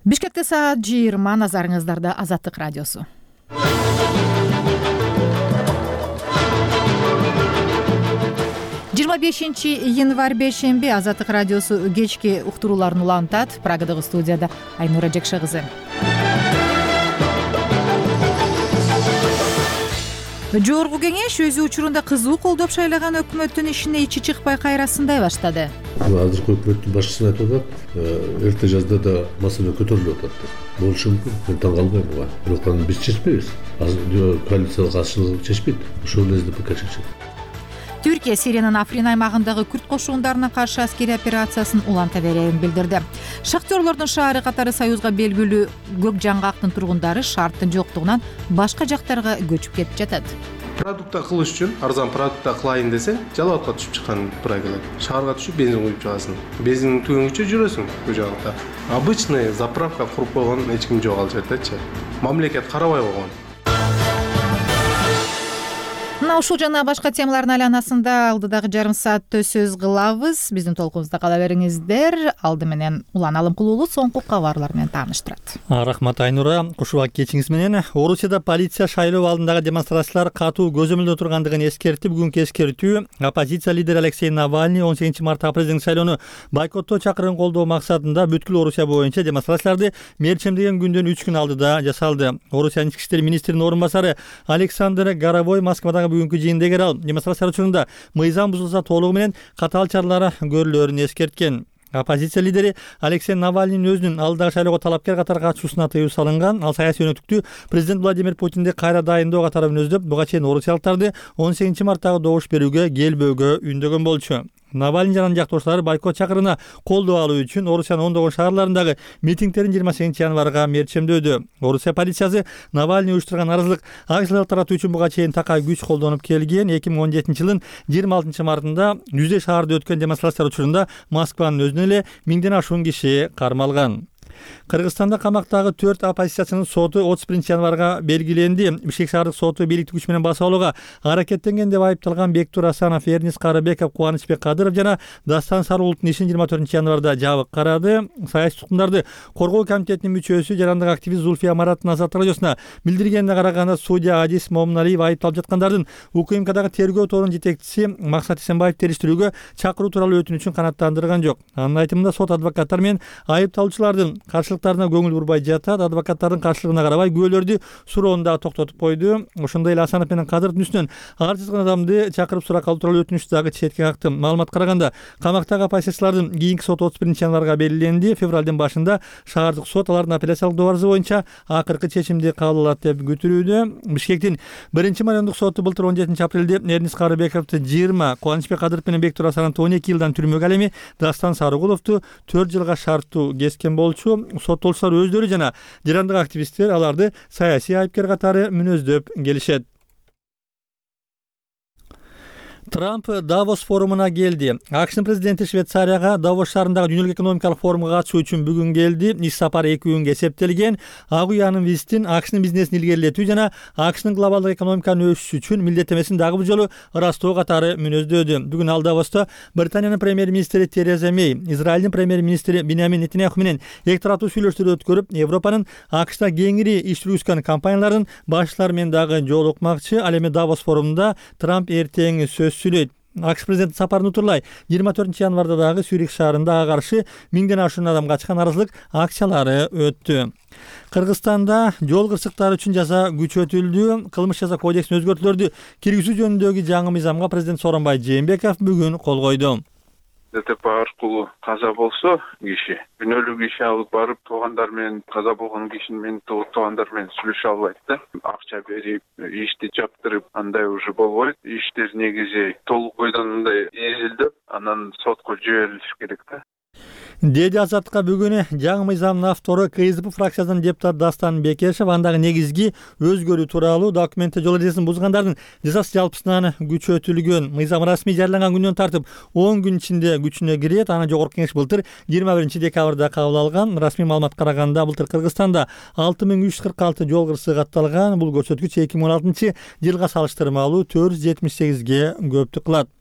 Бишкекте саат 20, назарыңыздарда Азаттык радиосу. Январь бейшемби Азаттык радиосу кечки уктурууларын улантат. Прагадагы студияда Айнура Жекше кызы. Жогорку кеңеш өз учурунда кызуу колдоп шайлаган өкмөттүн ишине ичи чыкпай кайрасындай баштады. Азыркы өкмөттүн башчысына айтып атат, эрте жазда да маселе көтөрүлүп атат. Болушу мүмкүн. Мен таң калбайм буга. Бирок биз чечпейбиз. Азыр коалициялык катышчылык чечпейт. Ошол эле СДПК чечет. Түркия Сириянын Африн аймагындагы күрд кошундарына каршы аскерий операциясын уланта берерин билдирди. Шахтерлордун шаары катары Союзга белгилүү Көк Жаңгактын тургундары шарттын жоктугунан башка жактарга көчүп кетип жатат. Продукта кылыш үчүн арзан продукта кылайын десе, жалаатка түшүп чыккан туура келет. Шаарга түшүп бензин куюп чыгасың. Бензиндин түгөнгүчө жүрөсүң бул жакта. Обычный заправка куруп койгон эч ким жок ал жертечи. Мамлекет карабай койгон. Ушул жана башка темалардын айланасында алдыдагы жарым саатта сөз кылабыз. Биздин толкунубузда кала бериңиздер. Алды менен Улан Алымкулуулу соңку кабарлар менен тааныштырат. Рахмат Айнура. Кушубак кечиңиз менен Орусияда полиция шайлоо алдындагы демонстрациялар катуу көзөмөлдө тургандыгын эскертип, бүгүнкү эскертүү оппозиция лидери Алексей Навальный 18 мартта президенттик шайлоону бойкоттоо чакырыгын колдоо максатында бүткүл Орусия боюнча демонстрацияларды мерчемдеген күндөн 3 күн алдыда жасалды. Орусиянын ички иштер министринин орун басары Александр Горовой Москвадагы бүгүнкү жыйында эгер ал демонстрация учурунда мыйзам бузулса толугу менен катаал чаралар көрүлөрүн эскерткен. Оппозиция лидери Алексей Навальныйдын өзүнүн алдыдагы шайлоого талапкер катары катышуусуна тыюу салынган. Ал саясий өнөктүктү президент Владимир Путинди кайра дайындоо катары мүнөздөп, буга чейин орусиялыктарды 18 марттагы добуш берүүгө келбөөгө үндөгөн болчу. Навальный жана жактоошулары бойкот чакырыгына колдоо алуу үчүн Орусиянын ондогон шаарларындагы митингдерин 28 январга мерчемдөдү. Орусия полициясы Навальный уюштурган наразылык акцияларын таратуу үчүн буга чейин такай күч колдонуп келген. 2017 жылдын 26 мартында жүздөй шаарда өткөн демонстрациялар учурунда Москванын өзүнөн эле 1000ден ашуун киши кармалган. Кыргызстанда камактагы 4 оппозициячынын соту 31 январга белгиленди. Бишкек шаардык соту бийликти күч менен басып алууга аракеттенген деп айыпталган Бектур Асанов, Эрнис Карыбеков, Кубанычбек Кадыров жана Дастан Сарыулуттун ишин 24 январда жабык карады. Саясий туткундарды коргоо комитетинин мүчөсү жарандык активист Зульфия Мараттын Азаттык радиосуна билдиргенине караганда судья Адис Момуналиев айыпталып жаткандардын УКМКдагы тергөө тобунун жетекчиси Максат Эсенбаев териштирүүгө чакыруу тууралуу өтүнүчүн канааттандырган жок. Анын айтымында сот адвокаттар менен айыпталуучулардын каршылыктарына көңүл бурбай жатат. Адвокаттардын каршылыгына карабай күбөлөрдү суроону дагы токтотуп койду. Ошондой эле Асанов менен Кадыровдун үстүнөн ар жазган адамды чакырып сурак алуу тууралуу өтүнүч дагы четке какты. Маалыматка караганда камактагы оппозициячылардын кийинки соту 31 январга белгиленди. Февралдын башында шаардык сот алардын апелляциялык добарызы боюнча акыркы чечимди кабыл алат деп күтүлүүдө. Бишкектин 1-майондук соту былтыр 17 апрелде Эрнис Карыбековду 20, Кубанычбек Кадыров менен Бектур Асановду 12 жылдан түрмөгө, ал эми Дастан Сарыгуловду 4 жылга шарттуу кескен болчу. Соттолуучулар өздөрү жана жарандык активисттер аларды саясий айыпкер катары мүнөздөп келишет. Трамп Давос форумуна келди. АКШнын президенти Швейцарияга Давос шаарындагы дүйнөлүк экономикалык форумга катышуу үчүн бүгүн келди. Иш сапары 2 күнгө эсептелген. Ак уянын визитин АКШнын бизнесин илгерилетүү жана АКШнын глобалдык экономиканын өсүшү үчүн милдеттемесин дагы бул жолу ырастоо катары мүнөздөдү. Бүгүн ал Давосто Британиянын премьер-министри Тереза Мей, Израилдин премьер-министри Биньямин Нетаньяху менен эки тараптуу сүйлөшүүлөр өткөрүп, Европанын АКШта кеңири иш жүргүзгөн компаниялардын башчылары менен дагы жолукмакчы. Ал эми Давос форумунда Трамп эртең сөз сүйлөйт. АКШ президенти сапарын утурлай 24 январда дагы Сюрих шаарында ага каршы 1000ден ашуун адам качкан наразылык акциялары өттү. Кыргызстанда жол кырсыктары үчүн жаза күчөтүлдү. Кылмыш жаза кодексине өзгөртүүлөрдү киргизүү жөнүндөгү жаңы мыйзамга президент Сооронбай Жээнбеков бүгүн кол койду. ДТП аркылуу каза болсо киши күнөөлүк иш алып барып туугандар менен каза болгон кишинин менен туугандар менен сүйлөшө албайт да. Акча берип, ишти жаптырып, андай уже болбойт. Иштер негизи толук бойдон мындай изилдеп, анан сотко жиберилиш керек да. Деди Азаттыкка бүгүн жаңы мыйзамдын автору КСДП фракциясынын депутаты Дастан Бекешев андагы негизги өзгөрүү тууралуу документте жол эрежесин бузгандардын жазасы жалпысынан күчөтүлгөн. Мыйзам расмий жарыяланган күндөн тартып 10 күн ичинде күчүнө кирет. Аны жогорку кеңеш былтыр 21 декабрда кабыл алган. Расмий маалыматка караганда былтыр Кыргызстанда 6346 жол кырсыгы катталган. Бул көрсөткүч 2016 жылга салыштырмалуу 478ге көптүк кылат.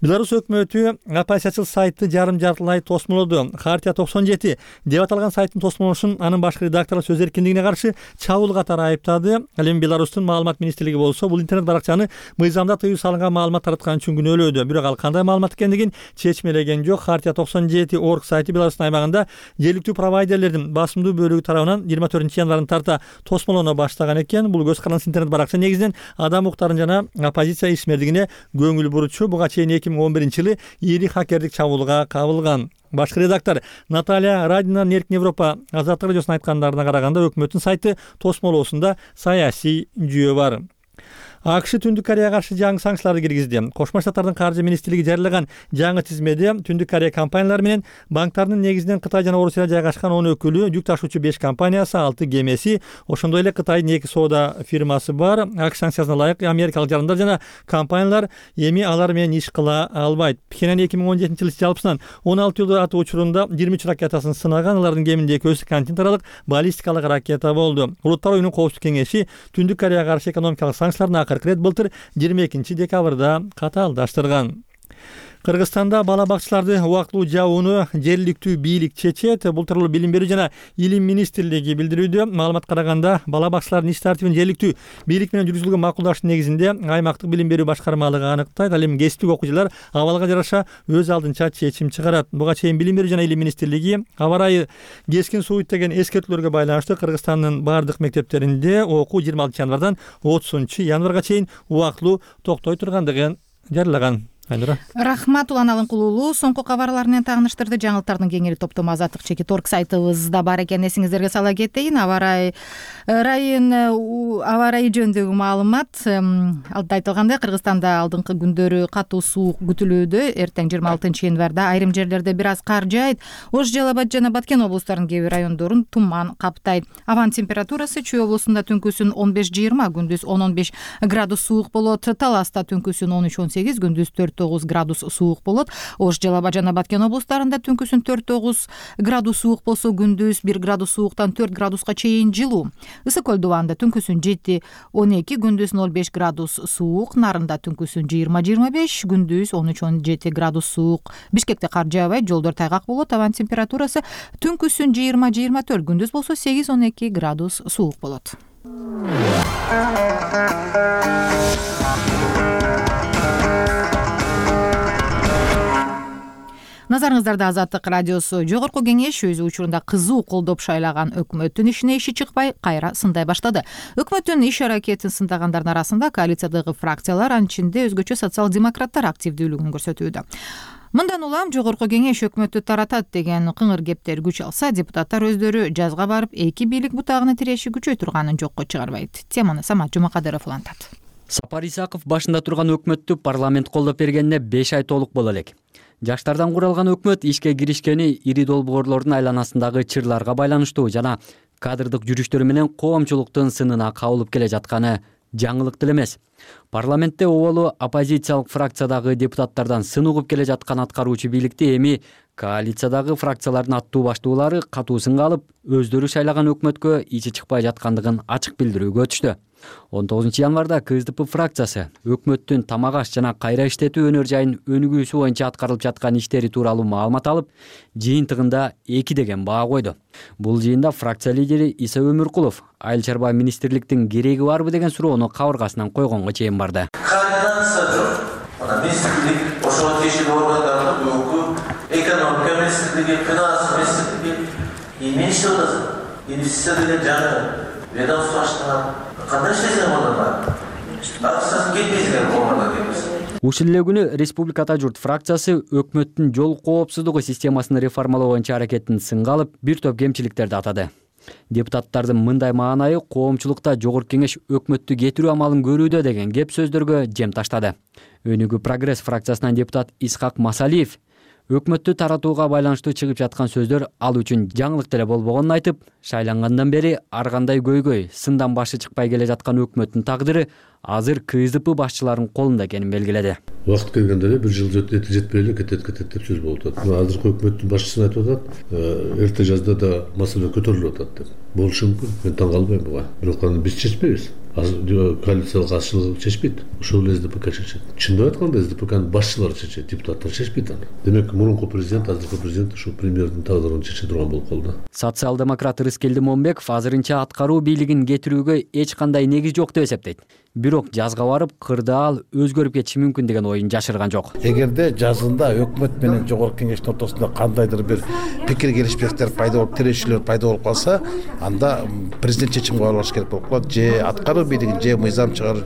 Беларусь өкмөтү оппозициячыл сайты жарым-жартылай тосмолоду. Хартия 97 деп аталган сайттын тосмолошун анын башкы редактору сөз эркиндигине каршы чабуул катары айыптады. Ал эми Беларустун маалымат министрлиги болсо бул интернет баракчаны мыйзамда тыюу салынган маалымат тараткан үчүн күнөөлөдү. Бирок ал кандай маалымат экендигин чечмелеген жок. Хартия 97.org сайты Беларустун аймагында жергиликтүү провайдерлердин басымдуу бөлүгү тарабынан 24-январдан тарта тосмолоно баштаган экен. Бул көз карандысыз интернет баракча негизинен адам укуктарын жана оппозиция ишмердигине көңүл бурчу. Буга чейин 2011-жылы ири хакердик чабуулга кабылган. Башкы редактор Наталья Радинанын Эркин Европа азаттык радиосуна айткандарына караганда өкмөттүн сайты тосмолоосунда саясий жүйө бар. АКШ Түндүк Кореяга каршы жаңы санкцияларды киргизди. Кошмо Штаттардын каржы министрлиги жарыялаган жаңы тизмеде Түндүк Корея компаниялары менен банктардын негизинен Кытай жана Орусияда жайгашкан 10 өкүлү, жүк ташуучу 5 компаниясы, 6 кемеси, ошондой эле Кытайдын 2 соода фирмасы бар. АКШ санкциясына ылайык америкалык жарандар жана компаниялар эми алар менен иш кыла албайт. Пхеньян 2017-жылы жалпысынан 16 жылда атуу учурунда 23 ракетасын сынаган. Алардын кеминде экөөсү континентаралык баллистикалык ракета болду. Улуттар оюнунун коопсуздук кеңеши Түндүк Кореяга каршы экономикалык санкцияларды акыркы рет былтыр 22 декабрда катаалдаштырган. Кыргызстанда бала бакчаларды убактылуу жабууну жергиликтүү бийлик чечет. Бул тууралуу Билим берүү жана Илим министрлиги билдирүүдө. Маалыматка караганда бала бакчалардын иш тартибин жергиликтүү бийлик менен жүргүзүлгөн макулдаштын негизинде аймактык билим берүү башкармалыгы аныктайт. Ал эми кесиптик окуучулар абалга жараша өз алдынча чечим чыгарат. Буга чейин Билим берүү жана Илим министрлиги аба ырайы кескин сууйт деген эскертүүлөргө байланыштуу Кыргызстандын бардык мектептеринде окуу 26 январдан 30 январга чейин убактылуу токтой тургандыгын жарыялаган. Рахмат Улан Алынкулуулу соңку кабарлар менен тааныштырды. Жаңылыктардын кеңири топтому Азаттык Чекит.org сайтыбызда бар экен. Эсиңиздерге сала кетейин. Аба ырайы жөнүндөгү маалымат. Алда айтылгандай, Кыргызстанда алдыңкы күндөрү катуу суук күтүлүүдө. Эртең 26 январда айрым жерлерде бир аз кар жаайт. Ош, Жалал Абад жана Баткен облустарынын кээ бир райондорун туман каптайт. Абанын температурасы Чүй облусунда түнкүсүн 15-20, күндүз 10-15 градус суук болот. Таласта түнкүсүн 13-18, күндүз 4-9 градус суук болот. Ош, Жалал Абад жана Баткен облустарында түнкүсүн 4-9 градус суук болсо, күндүз 1 градус сууктан 4 градуска чейин жылуу. Ысык көл дубанында түнкүсүн 7-12, күндүз 0-5 градус суук. Нарында түнкүсүн 20-25, күндүз 13-17 градус суук. Бишкекте кар жаабайт, жолдор тайгак болот. Абанын температурасы түнкүсүн 20-24, күндүз болсо 8-12 градус суук болот. Назарыңыздарда Азаттык радиосу. Жогорку кеңеш өз учурунда кызуу колдоп шайлаган өкмөттүн ишине иши чыкпай кайра сындай баштады. Өкмөттүн иш аракетин сындагандардын арасында коалициядагы фракциялар, анын ичинде өзгөчө социал-демократтар активдүүлүгүн көрсөтүүдө. Мындан улам жогорку кеңеш өкмөттү таратат деген кыңыр кептер күч алса, депутаттар өздөрү жазга барып эки бийлик бутагына тиреши күчөй турганын жокко чыгарбайт. Теманы Самат Жумакадыров улантат. Сапар Исаков башында турган өкмөттү парламент колдоп бергенине 5 ай толук боло элек. Жаштардан куралган өкмөт ишке киришкени ири долбоорлордун айланасындагы чырларга байланыштуу жана кадрдык жүрүштөрү менен коомчулуктун сынына кабылып келе жатканы жаңылык деле эмес. Парламентте оболу оппозициялык фракциядагы депутаттардан сын угуп келе жаткан аткаруучу бийликти эми коалициядагы фракциялардын аттуу баштуулары катуу сынга алып, өздөрү шайлаган өкмөткө ичи чыкпай жаткандыгын ачык билдирүүгө өтүштү. 19 январда КСДП фракциясы өкмөттүн тамак аш жана кайра иштетүү өнөр жайын өнүгүүсү боюнча аткарылып жаткан иштери тууралуу маалымат алып, жыйынтыгында 2 деген баа койду. Бул жыйында фракция лидери Иса Өмүркулов айыл чарба министрликтин кереги барбы деген суроону кабыргасынан койгонго чейин барды. Министрлик ошого тиешелүү органдардын өкүлү, экономика министрлиги, финанс министрлиги эмне иштеп атасың? Инвестиция деген жаңы ведомство аштыңар. Кандай иштесең онда? Акчасын кетпейсиңер болгондо келбес. Ушул эле күнү Республикада журт фракциясы өкмөттүн жол коопсуздугу системасын реформалоо боюнча аракетин сынга алып, бир топ кемчиликтерди атады. Депутаттардын мындай маанайы коомчулукта жогорку кеңеш өкмөттү кетирүү амалын көрүүдө деген кеп сөздөргө жем таштады. Өнүгүү прогресс фракциясынан депутат Исхак Масалиев өкмөттү таратууга байланыштуу чыгып жаткан сөздөр ал үчүн жаңылык деле болбогонун айтып, шайлангандан бери ар кандай көйгөй, сындан башы чыкпай келе жаткан өкмөттүн тагдыры азыр КСДП башчыларынын колунда экенин белгиледи. Убакыт келгенде эле 1 жыл жетпей эле кетет деп сөз болуп атат. Азыркы өкмөттүн башчысы айтып атат, эрте жазда да маселе көтөрүлүп атат деп. Болушу мүмкүн. Мен таң калбайм буга. Бирок аны биз чечпейбиз. Коалициялык азчылык чечпейт, ошол эле СДПК чечет. Чындап айтканда СДПКнын башчылары чечет, депутаттар чечпейт аны. Демек мурунку президент, азыркы президент ушу премьердин тагдырын чече турган болуп калды. Социал-демократ Рыскелди Момбеков азырынча аткаруу бийлигин кетирүүгө эч кандай негиз жок деп эсептейт. Бирок жазга барып кырдаал өзгөрүп кетиши мүмкүн деген оюн жашырган жок. Эгерде жазында өкмөт менен жогорку кеңештин ортосунда кандайдыр бир пикир келишпестиктер пайда болуп, тирешүүлөр пайда болуп калса, анда президент чечим кабыл алыш керек болуп калат. Же аткаруу бийлигин, же мыйзам чыгаруу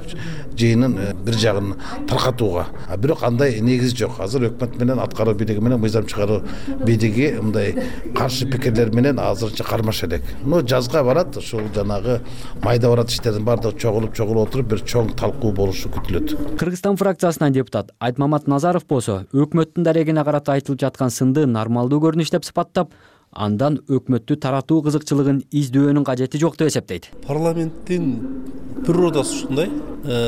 жыйынын бир жагын таркатууга. Бирок андай негиз жок. Азыр өкмөт менен аткаруу бийлиги менен мыйзам чыгаруу бийлиги мындай каршы пикирлер менен азырынча кармаша элек. Жазга барат, ушул жанагы майда барат иштердин баардыгы чогулуп отуруп бир чоң талкуу болушу күтүлөт. Кыргызстан фракциясынан депутат Айтмамат Назаров болсо өкмөттүн дарегине карата айтылып жаткан сынды нормалдуу көрүнүш деп сыпаттап, андан өкмөттү таратуу кызыкчылыгын издөөнүн кажети жок деп эсептейт. Парламенттин природасы ушундай,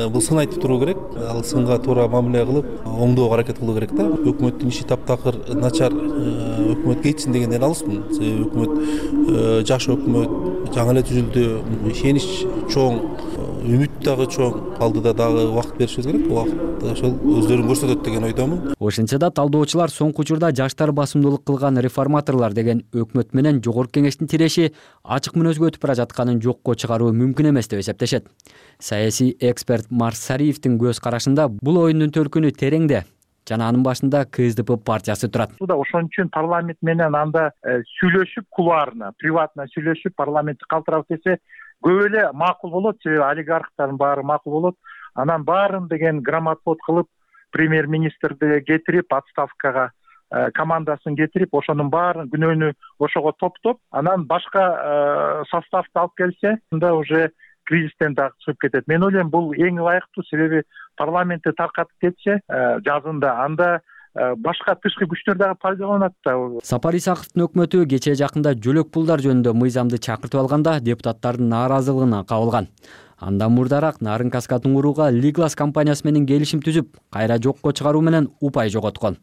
бул сын айтып туруу керек, ал сынга туура мамиле кылып, оңдоого аракет кылуу керек да. Өкмөттүн иши таптакыр начар, өкмөт кетсин дегенден алысмын. Өкмөт жакшы өкмөт, жаңы эле түзүлдү, ишенич чоң, үмүт дагы чоң, алдыда дагы убакыт беришибиз керек. Убакыт ошол өздөрүн көрсөтөт деген ойдомун. Ошентсе да талдоочулар соңку учурда жаштар басымдуулук кылган реформаторлор деген өкмөт менен жогорку кеңештин тиреши ачык мүнөзгө өтүп бара жатканын жокко чыгаруу мүмкүн эмес деп эсептешет. Саясий эксперт Марс Сариевдин көз карашында бул оюндун төркүнү тереңде жана анын башында КСДП партиясы турат. Ошон үчүн парламент менен анда сүйлөшүп, кулуарна, приватно сүйлөшүп, парламентти калтырабыз десе көп эле макул болот, себеби олигархтардын баары макул болот. Анан баарын деген грамотвод кылып, премьер-министрди кетирип, отставкага командасын кетирип, ошонун баарын күнөөнү ошого топтоп, анан башка составды алып келсе, анда уже кризистен дагы чыгып кетет. Мен ойлойм, бул эң ылайыктуу, себеби парламентти таркатып кетсе, жазында анда башка тышкы күчтөр дагы пайдаланат да. Сапар Исаковдун өкмөтү кечээ жакында жөлөк пулдар жөнүндө мыйзамды чакыртып алганда депутаттардын нааразылыгына кабылган. Андан мурдараак Нарын Каска туңгурууга Лиглас компаниясы менен келишим түзүп, кайра жокко чыгаруу менен упай жоготкон.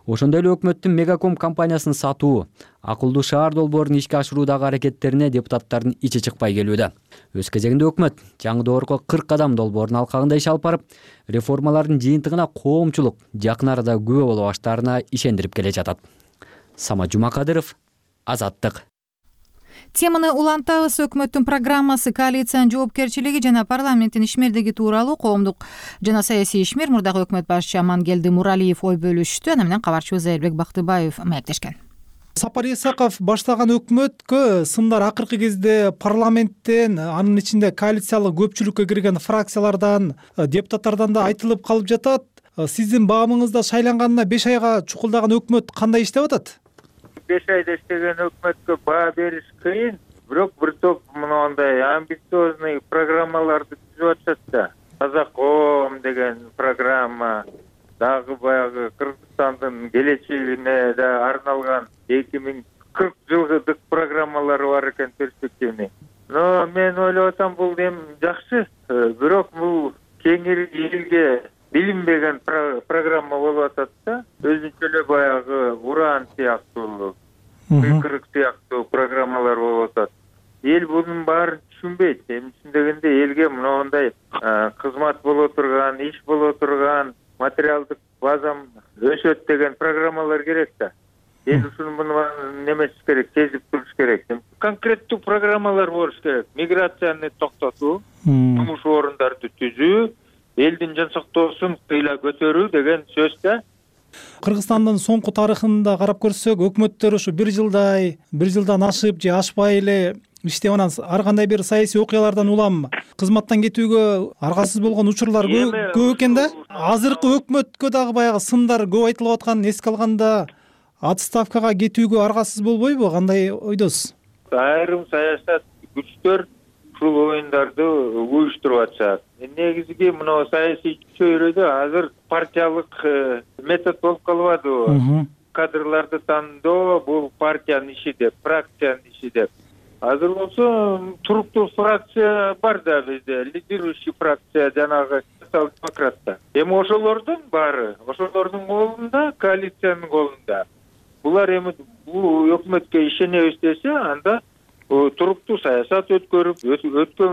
Ошондой эле өкмөттүн Мегаком компаниясын сатуу, акылдуу шаар долбоорун ишке ашыруудагы аракеттерине депутаттардын ичи чыкпай келүүдө. Өз кезегинде өкмөт жаңы доорго 40 кадам долбоорун алкагында иш алып барып, реформалардын жыйынтыгына коомчулук жакын арада күбө боло баштаарына ишендирип келе жатат. Самат Жумакадыров, Азаттык. Теманы улантабыз. Өкмөттүн программасы, коалициянын жоопкерчилиги жана парламенттин ишмердиги тууралуу коомдук жана саясий ишмер, мурдагы өкмөт башчысы Амангелди Муралиев ой бөлүштү. Аны менен кабарчыбыз Айырбек Бактыбаев маектешкен. Сапар Исаков баштаган өкмөткө сындар акыркы кезде парламенттен, анын ичинде коалициялык көпчүлүккө кирген фракциялардан, депутаттардан да айтылып калып жатат. Сиздин баамыңызда шайланганына 5 айга чукулдаган өкмөт кандай иштеп атат? 5 айда иштеген өкмөткө баа бериш кыйын, бирок бир топ мындай амбициозный программаларды түзүп атышат да. Казаком деген программа, дагы баягы Кыргызстандын келечегине да арналган 2040 жылдык программалары бар экен, перспективный. Но мен ойлоп атам, бул эми жакшы, бирок бул кеңири элге билинбеген программа болуп атат да. Өзүнчө эле баягы уран сыяктуу, кыйкырык сыяктуу программалар болуп атат. Эл бунун баарын түшүнбөйт. Эми түшүндөгөндө элге мындай кызмат боло турган, иш боло турган, материалдык базам өсөт деген программалар керек да. Эл ушуну немес керек, сезип туруш керек. Конкреттүү программалар болуш керек. Миграцияны токтотуу, жумуш орундарды түзүү, элдин жан сактоосун кыйла көтөрүү деген сөз да. Кыргызстандын соңку тарыхында карап көрсөк, өкмөттөр ушу 1 жылдан ашып же ашпай эле иштеп, анан ар кандай бир саясий окуялардан улам кызматтан кетүүгө аргасыз болгон учурлар көп экен да. Азыркы өкмөткө дагы баягы сындар көп айтылып атканын эске алганда, отставкага кетүүгө аргасыз болбойбу? Кандай ойдосуз? Айрым саясат күчтөр ушул оюндарды уюштуруп атышат. Негизги мына саясий чөйрөдө азыр партиялык метод болуп калбадыбы? Кадрларды тандоо бул партиянын иши деп, фракциянын иши деп. Азыр болсо туруктуу фракция бар да бизде, лидирующий фракция жанагы социал-демократта. Эми ошолордун баары, ошолордун колунда, коалициянын колунда. Булар эми бул өкмөткө ишенебиз десе, анда туруктуу саясат өткөрүп өткөн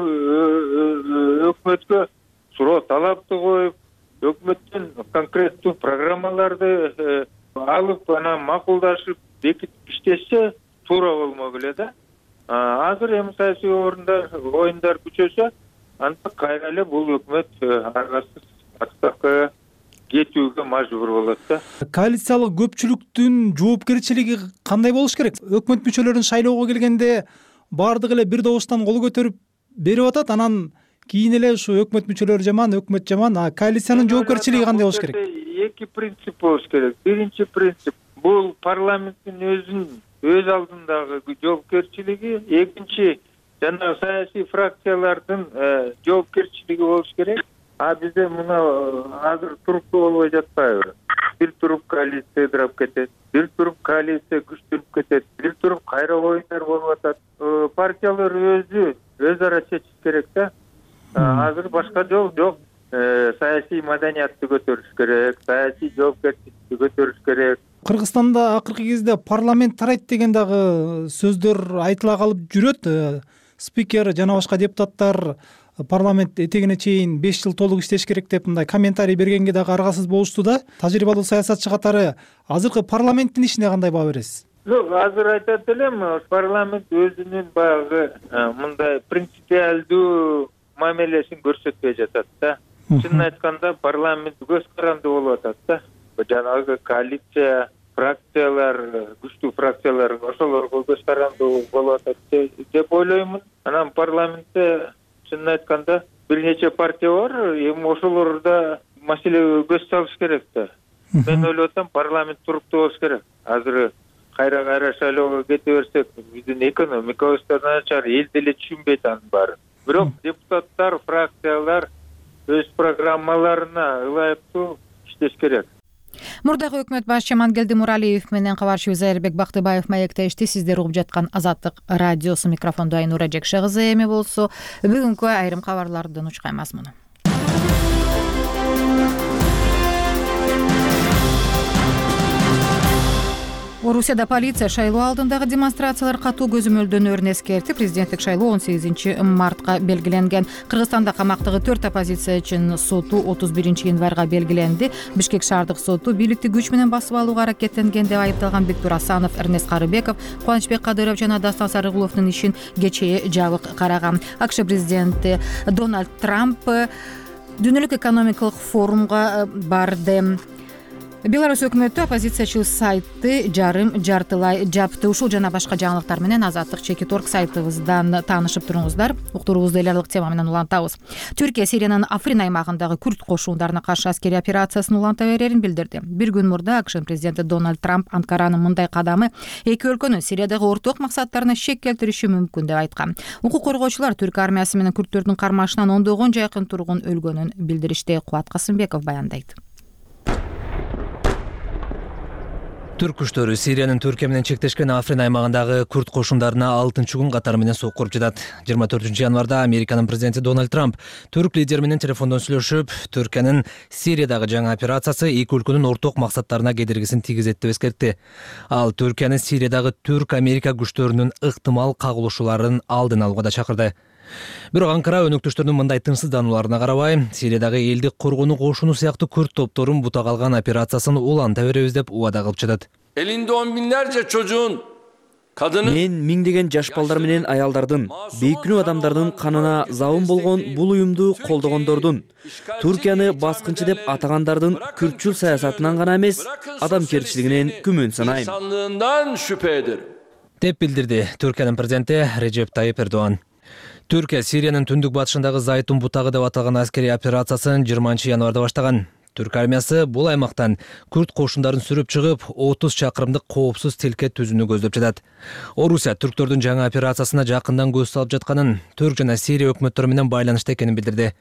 өкмөткө суроо талапты коюп, өкмөттөн конкреттүү программаларды алып, анан макулдашып, бекитип иштешсе туура болмок эле да. Азыр эми саясий оюндар күчөсө, анда кайра эле бул өкмөт аргасыз отставкага кетүүгө мажбур болот да. Коалициялык көпчүлүктүн жоопкерчилиги кандай болуш керек? Өкмөт мүчөлөрүн шайлоого келгенде баардыгы эле бир добуштан кол көтөрүп берип атат, анан кийин эле ушу өкмөт мүчөлөрү жаман, өкмөт жаман. Коалициянын жоопкерчилиги кандай болуш керек? Эки принцип болуш керек. Биринчи принцип бул парламенттин өз алдындагы жоопкерчилиги, экинчи жанагы саясий фракциялардын жоопкерчилиги болуш керек. Бизде мына азыр туруктуу болбой жатпайбы? Бир туруп коалиция ыдырап кетет, бир туруп коалиция күчтөнүп кетет, бир туруп кайра оюндар болуп атат. Партиялар өз ара чечиш керек да. Азыр башка жол жок. Саясий маданиятты көтөрүш керек, саясий жоопкерчиликти көтөрүш керек. Кыргызстанда акыркы кезде парламент тарайт деген дагы сөздөр айтыла калып жүрөт. Спикер жана башка депутаттар парламент этегине чейин 5 жыл толук иштеш керек деп мындай комментарий бергенге дагы аргасыз болушту да. Тажрыйбалуу саясатчы катары азыркы парламенттин ишине кандай баа бересиз? Жок, азыр айтат элем, парламент өзүнүн баягы мындай принципиалдуу мамилесин көрсөтпөй жатат да. Чынын айтканда парламент көз каранды болуп атат да. Жанагы коалиция, фракциялар, күчтүү фракциялар ошолорго көз каранды болуп атат деп ойлоймун. Анан парламентте чынын айтканда бир нече партия бар, эми ошолорда маселеге көз салыш керек да. Мен ойлоп атам, парламент туруктуу болуш керек. Азыр кайра шайлоого кете берсек, биздин экономикабыз да начар, эл деле түшүнбөйт анын баарын. Бирок депутаттар, фракциялар өз программаларына ылайыктуу иштеш керек. Мурдагы өкмөт башчы Амангелди Муралиев менен кабарчыбыз Айырбек Бактыбаев маектешти. Сиздер угуп жаткан Азаттык радиосу. Микрофондо Айнура Жекше кызы эми болсо, бүгүнкү айрым кабарлардын учкай мазмуну. Орусияда полиция шайлоо алдындагы демонстрациялар катуу көзөмөлдөнөрүн эскертип, президенттик шайлоо 18 мартка белгиленген. Кыргызстанда камактагы 4 оппозициячынын соту 31 январга белгиленди. Бишкек шаардык соту бийликти күч менен басып алууга аракеттенген деп айыпталган Бектур Асанов, Эрнест Карыбеков, Кубанычбек Кадыров жана Дастан Сарыгуловдун ишин кечээ жабык караган. АКШ президенти Дональд Трамп дүйнөлүк экономикалык форумга барды. Беларусь өкмөтү оппозициячыл сайты жартылай жапты. Ушул жана башка жаңылыктар менен Азаттык Чекит.орг сайтыбыздан таанышып туруңуздар. Уктуруубузду эл аралык тема менен улантабыз. Түркия Сириянын Африн аймагындагы күрд кошундарына каршы аскерий операциясын уланта берерин билдирди. Бир күн мурда АКШ президенти Дональд Трамп Анкаранын мындай кадамы эки өлкөнүн Сириядагы орток максаттарына шек келтириши мүмкүн деп айткан. Укук коргоочулар Түрк армиясы менен күрдтөрдүн кармашынан ондогон жакын тургун өлгөнүн билдиришти. Кубат Касымбеков баяндайт. Түрк күчтөрү Сириянын Түркия менен чектешкен Африн аймагындагы күрд кошундарына 6-күн катары менен сокку уруп жатат. 24 январда Американын президенти Дональд Трамп түрк лидери менен телефондон сүйлөшүп, Түркиянын Сириядагы жаңы операциясы эки өлкөнүн орток максаттарына кедергисин тийгизет деп эскертти. Ал Түркиянын Сириядагы Түрк-Америка күчтөрүнүн ыктымал кагылышууларын алдын алууга да чакырды. Бирок Анкара өнөктөштөрүнүн мындай тынчсызданууларына карабай, Сириядагы элдик коргонуу кошуну сыяктуу күрд топторун бута калган операциясын уланта беребиз деп убада кылып жатат. Elinde on binlerce çocuğun, kadının... Мен миңдеген жаш балдар менен аялдардын, бейкүнүү адамдардын канына забын болгон бул уюмду колдогондордун, Түркияны баскынчы деп атагандардын күртчүл саясатынан гана эмес, адамгерчилигинен күмөн санайм. ...insanlığından şüphedir. Деп билдирди Түркиянын президенти Режеп Тайип Эрдоган. Түркия Сириянын түндүк батышындагы Зайтун бутагы деп аталган аскерий операциясын 20 январда баштаган. Түрк армиясы бул аймактан күрд кошундарын сүрүп чыгып, 30 чакырымдык коопсуз тилкет түзүүнү көздөп жатат. Орусия түрктөрдүн жаңы операциясына жакындан көз салып жатканын, Түрк жана Сирия өкмөттөрү менен байланышта экенин билдирди.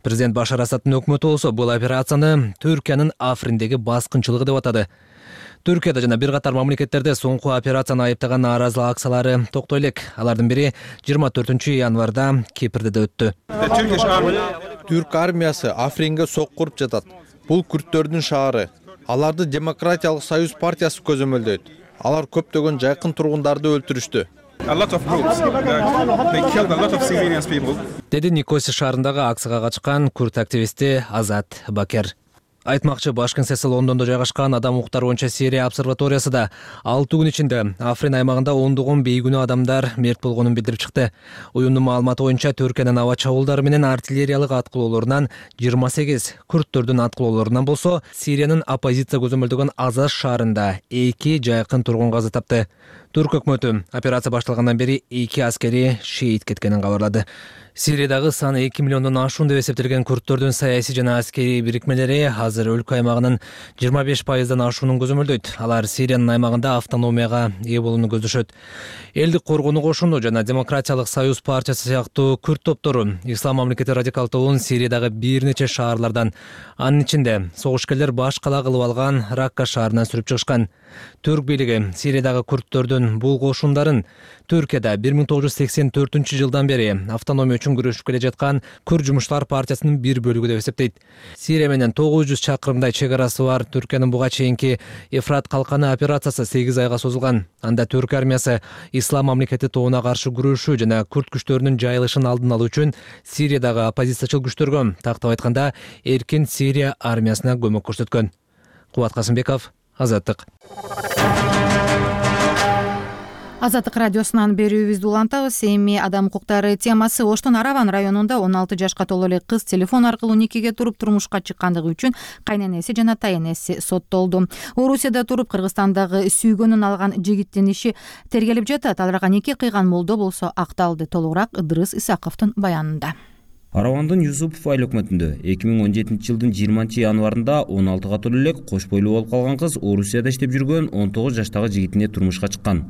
Президент Башар Асадтын өкмөтү болсо бул операцияны Түркиянын Африндеги баскынчылыгы деп атады. Түркияда жана бир катар мамлекеттерде соңку операцияны айыптаган нааразылык акциялары токтой элек. Алардын бири 24 январда Кипрде да өттү. Түрк армиясы Афринге сокку уруп жатат. Бул күрттөрдүн шаары. Аларды Демократиялык союз партиясы көзөмөлдөйт. Алар көптөгөн жайкын тургундарды өлтүрүштү. деди Никоси шаарындагы акцияга катышкан күрд активисти Азат Бакер. Айтмакчы, баш кеңсеси Лондондо жайгашкан Адам укуктары боюнча Сирия обсерваториясы да 6 күн ичинде Африн аймагында ондогон бейгүнөө адамдар мерт болгонун билдирип чыкты. Уюмдун маалыматы боюнча Түркиянын аба чабуулдары менен артиллериялык аткылоолорунан 28, күрдтөрдүн аткылоолорунан болсо Сириянын оппозиция көзөмөлдөгөн Азаз шаарында 2 жайкын тургун каза тапты. Түрк өкмөтү операция башталгандан бери 2 аскери шейит кеткенин кабарлады. Сириядагы саны 2 миллиондон ашуун деп эсептелген күрдтөрдүн саясий жана аскерий бирикмелери азыр өлкө аймагынын 25%дан ашуунун көзөмөлдөйт. Алар Сириянын аймагында автономияга ээ болууну көздөшөт. Элдик коргонуу кошуну жана Демократиялык союз партиясы сыяктуу күрд топтору Ислам мамлекети радикал тобун Сириядагы бир нече шаарлардан, анын ичинде согушкерлер баш кала кылып алган Ракка шаарынан сүрүп чыгышкан. Түрк бийлиги Сириядагы күрдтөрдүн бул кошундарын Түркияда 1984 бери автономия үчүн күрөшүп келе жаткан Күрд жумушчулар партиясынын бир бөлүгү деп эсептейт. Сирия менен 900 чакырымдай чек арасы бар Түркиянын буга чейинки Эфрат калканы операциясы 8 айга созулган. Анда Түрк армиясы Ислам мамлекети тобуна каршы күрөшүү жана күрд күчтөрүнүн жайылышын алдын алуу үчүн Сириядагы оппозициячыл күчтөргө, тактап айтканда, эркин Сирия армиясына көмөк көрсөткөн. Кубат Касымбеков, Азаттык. Азаттык радиосунан берүүбүздү улантабыз. Эми адам укуктары темасы. Оштун Араван районунда 16 жашка толо эле кыз телефон аркылуу никеге туруп турмушка чыккандыгы үчүн кайненеси жана тайенеси соттолду. Орусияда туруп Кыргызстандагы сүйгөнүн алган жигиттин иши тергелип жатат. Аларга нике кыйган молдо болсо акталды. Толугураак Ыдырыс Исаковдун баянында. Аравандын Юсупов айыл өкмөтүндө 2017 жылдын 20 январында 16 толо эле кош бойлуу болуп калган кыз Орусияда иштеп жүргөн 19 жаштагы жигитине турмушка чыккан.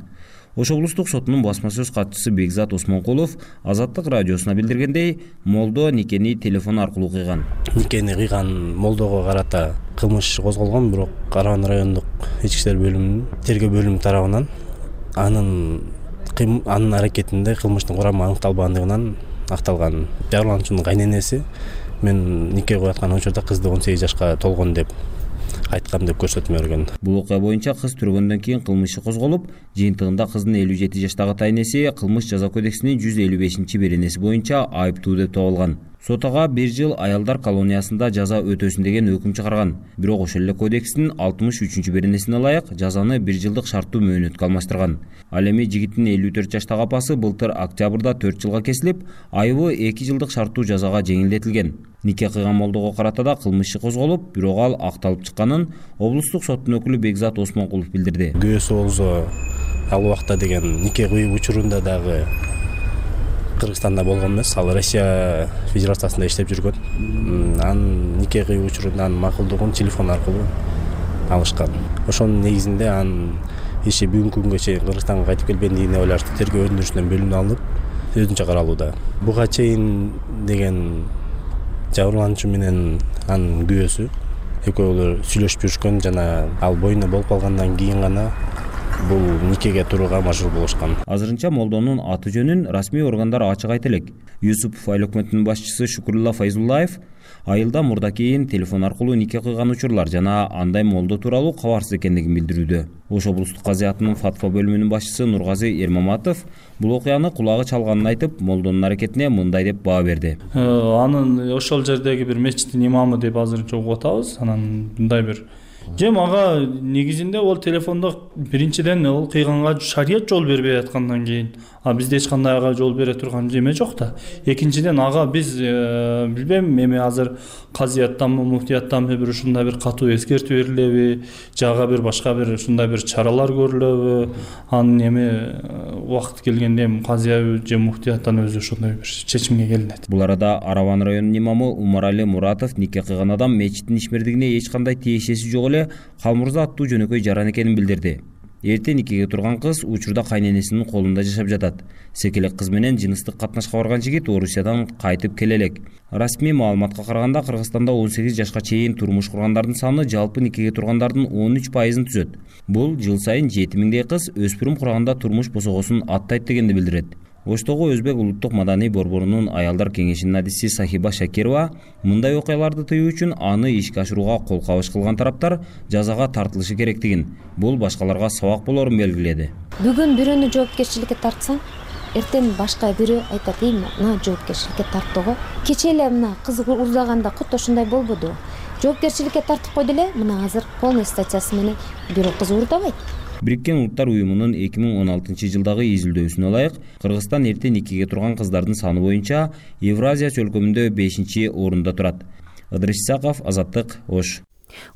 Ош облустук сотунун басма сөз катчысы Бекзат Осмонкулов Азаттык радиосуна билдиргендей, молдо никени телефон аркылуу кыйган. Никени кыйган молдого карата кылмыш козголгон, бирок Араван райондук ички иштер бөлүмүнүн тергөө бөлүмү тарабынан анын аракетинде кылмыштын курамы аныкталбагандыгынан акталган. Жабырлануучунун кайненеси мен нике кылып аткан учурда кызды 18 жашка толгон деп айткам деп көрсөтмө берген. Бул окуя боюнча кыз түргөндөн кийин кылмыш иши козголуп, жыйынтыгында кыздын 57 жаштагы тайнеси кылмыш жаза кодексинин 155-беренеси боюнча айыптуу деп табылган. Сот ага 1 жыл аялдар колониясында жаза өтөсүн деген өкүм чыгарган. Бирок ошол эле кодекстин 63-беренесине ылайык жазаны 1 жылдык шарттуу мөөнөткө алмаштырган. Ал эми жигиттин 54 жаштагы апасы былтыр октябрда 4 жылга кесилип, айыбы 2 жылдык шарттуу жазага жеңилдетилген. Нике кыйган молдого карата да кылмыш иши козголуп, бирок ал акталып чыкканын облустук соттун өкүлү Бекзат Осмонкулов билдирди. Күйөөсү болсо ал убакта деген нике кыйып учурунда дагы Кыргызстанда болгон эмес, ал Россия Федерациясында иштеп жүргөн. Анын нике кыйып учурунда анын макулдугун телефон аркылуу алышкан. Ошонун негизинде анын иши бүгүнкү күнгө чейин Кыргызстанга кайтып келбегендигине байланыштуу тергөө өндүрүшүнөн бөлүнүп алынып, өзүнчө каралууда. Буга чейин деген жабырлануучу менен анын күйөөсү экөөлөр сүйлөшүп жүрүшкөн жана ал боюна болуп калгандан кийин гана бул никеге турууга мажбур болушкан. Азырынча молдонун аты жөнүн расмий органдар ачык айта элек. Юсупов айыл өкмөтүнүн башчысы Шукурулла Файзуллаев айылда мурда кийин телефон аркылуу нике кыйган учурлар жана андай молдо тууралуу кабарсыз экендигин билдирүүдө. Ош облустук казыятынын фатва бөлүмүнүн башчысы Нургазы Эрмаматов бул окуяны кулагы чалганын айтып, молдонун аракетине мындай деп баа берди. Анын ошол жердеги бир мечиттин имамы деп азырынча угуп атабыз. Анан мындай бир ага негизинде ол телефондо биринчиден ол кыйганга шарият жол бербей аткандан кийин бизде эч кандай ага жол бере турган эме жок да. Экинчиден ага биз билбейм, эми азыр казыяттанбы, муфтияттанбы бир ушундай бир катуу эскертүү берилеби, жага бир башка бир ушундай бир чаралар көрүлөбү, анын эми убакыт келгенде эми казыя же муфтияттан өзү ошондой бир чечимге келинет. Бул арада Араван районунун имамы Умарали Муратов нике кыйган адам мечиттин ишмердигине эч кандай тиешеси жок эле Калмурза аттуу жөнөкөй жаран экенин билдирди. Эрте никеге турган кыз учурда кайненесинин колунда жашап жатат. Секелек кыз менен жыныстык катнашка барган жигит Орусиядан кайтып келе элек. Расмий маалыматка караганда Кыргызстанда 18 жашка чейин турмуш кургандардын саны жалпы никеге тургандардын 13%-ын түзөт. Бул жыл сайын 7000дей кыз өспүрүм курганда турмуш босогосун аттайт дегенди билдирет. Оштогу Өзбек улуттук маданий борборунун аялдар кеңешинин адиси Сахиба Шакирова мындай окуяларды тыюу үчүн аны ишке ашырууга кол кабыш кылган тараптар жазага тартылышы керектигин, бул башкаларга сабак болорун белгиледи. Бүгүн бирөөнү жоопкерчиликке тартсаң, эртең башка бирөө айтат, мына жоопкерчиликке тарттыгы. Кече эле мына кыз уурдаганда кутта ушундай болбоду. Жоопкерчиликке тартып койду эле, мына азыр полный статьясы менен бирөө кыз уурдабайт. Бириккен Улуттар уюмунун 2016 жылдагы изилдөөсүнө ылайык, Кыргызстан эрте никеге турган кыздардын саны боюнча Евразия чөлкөмүндө 5-орунда турат. Ыдырыс Исаков, Азаттык, Ош.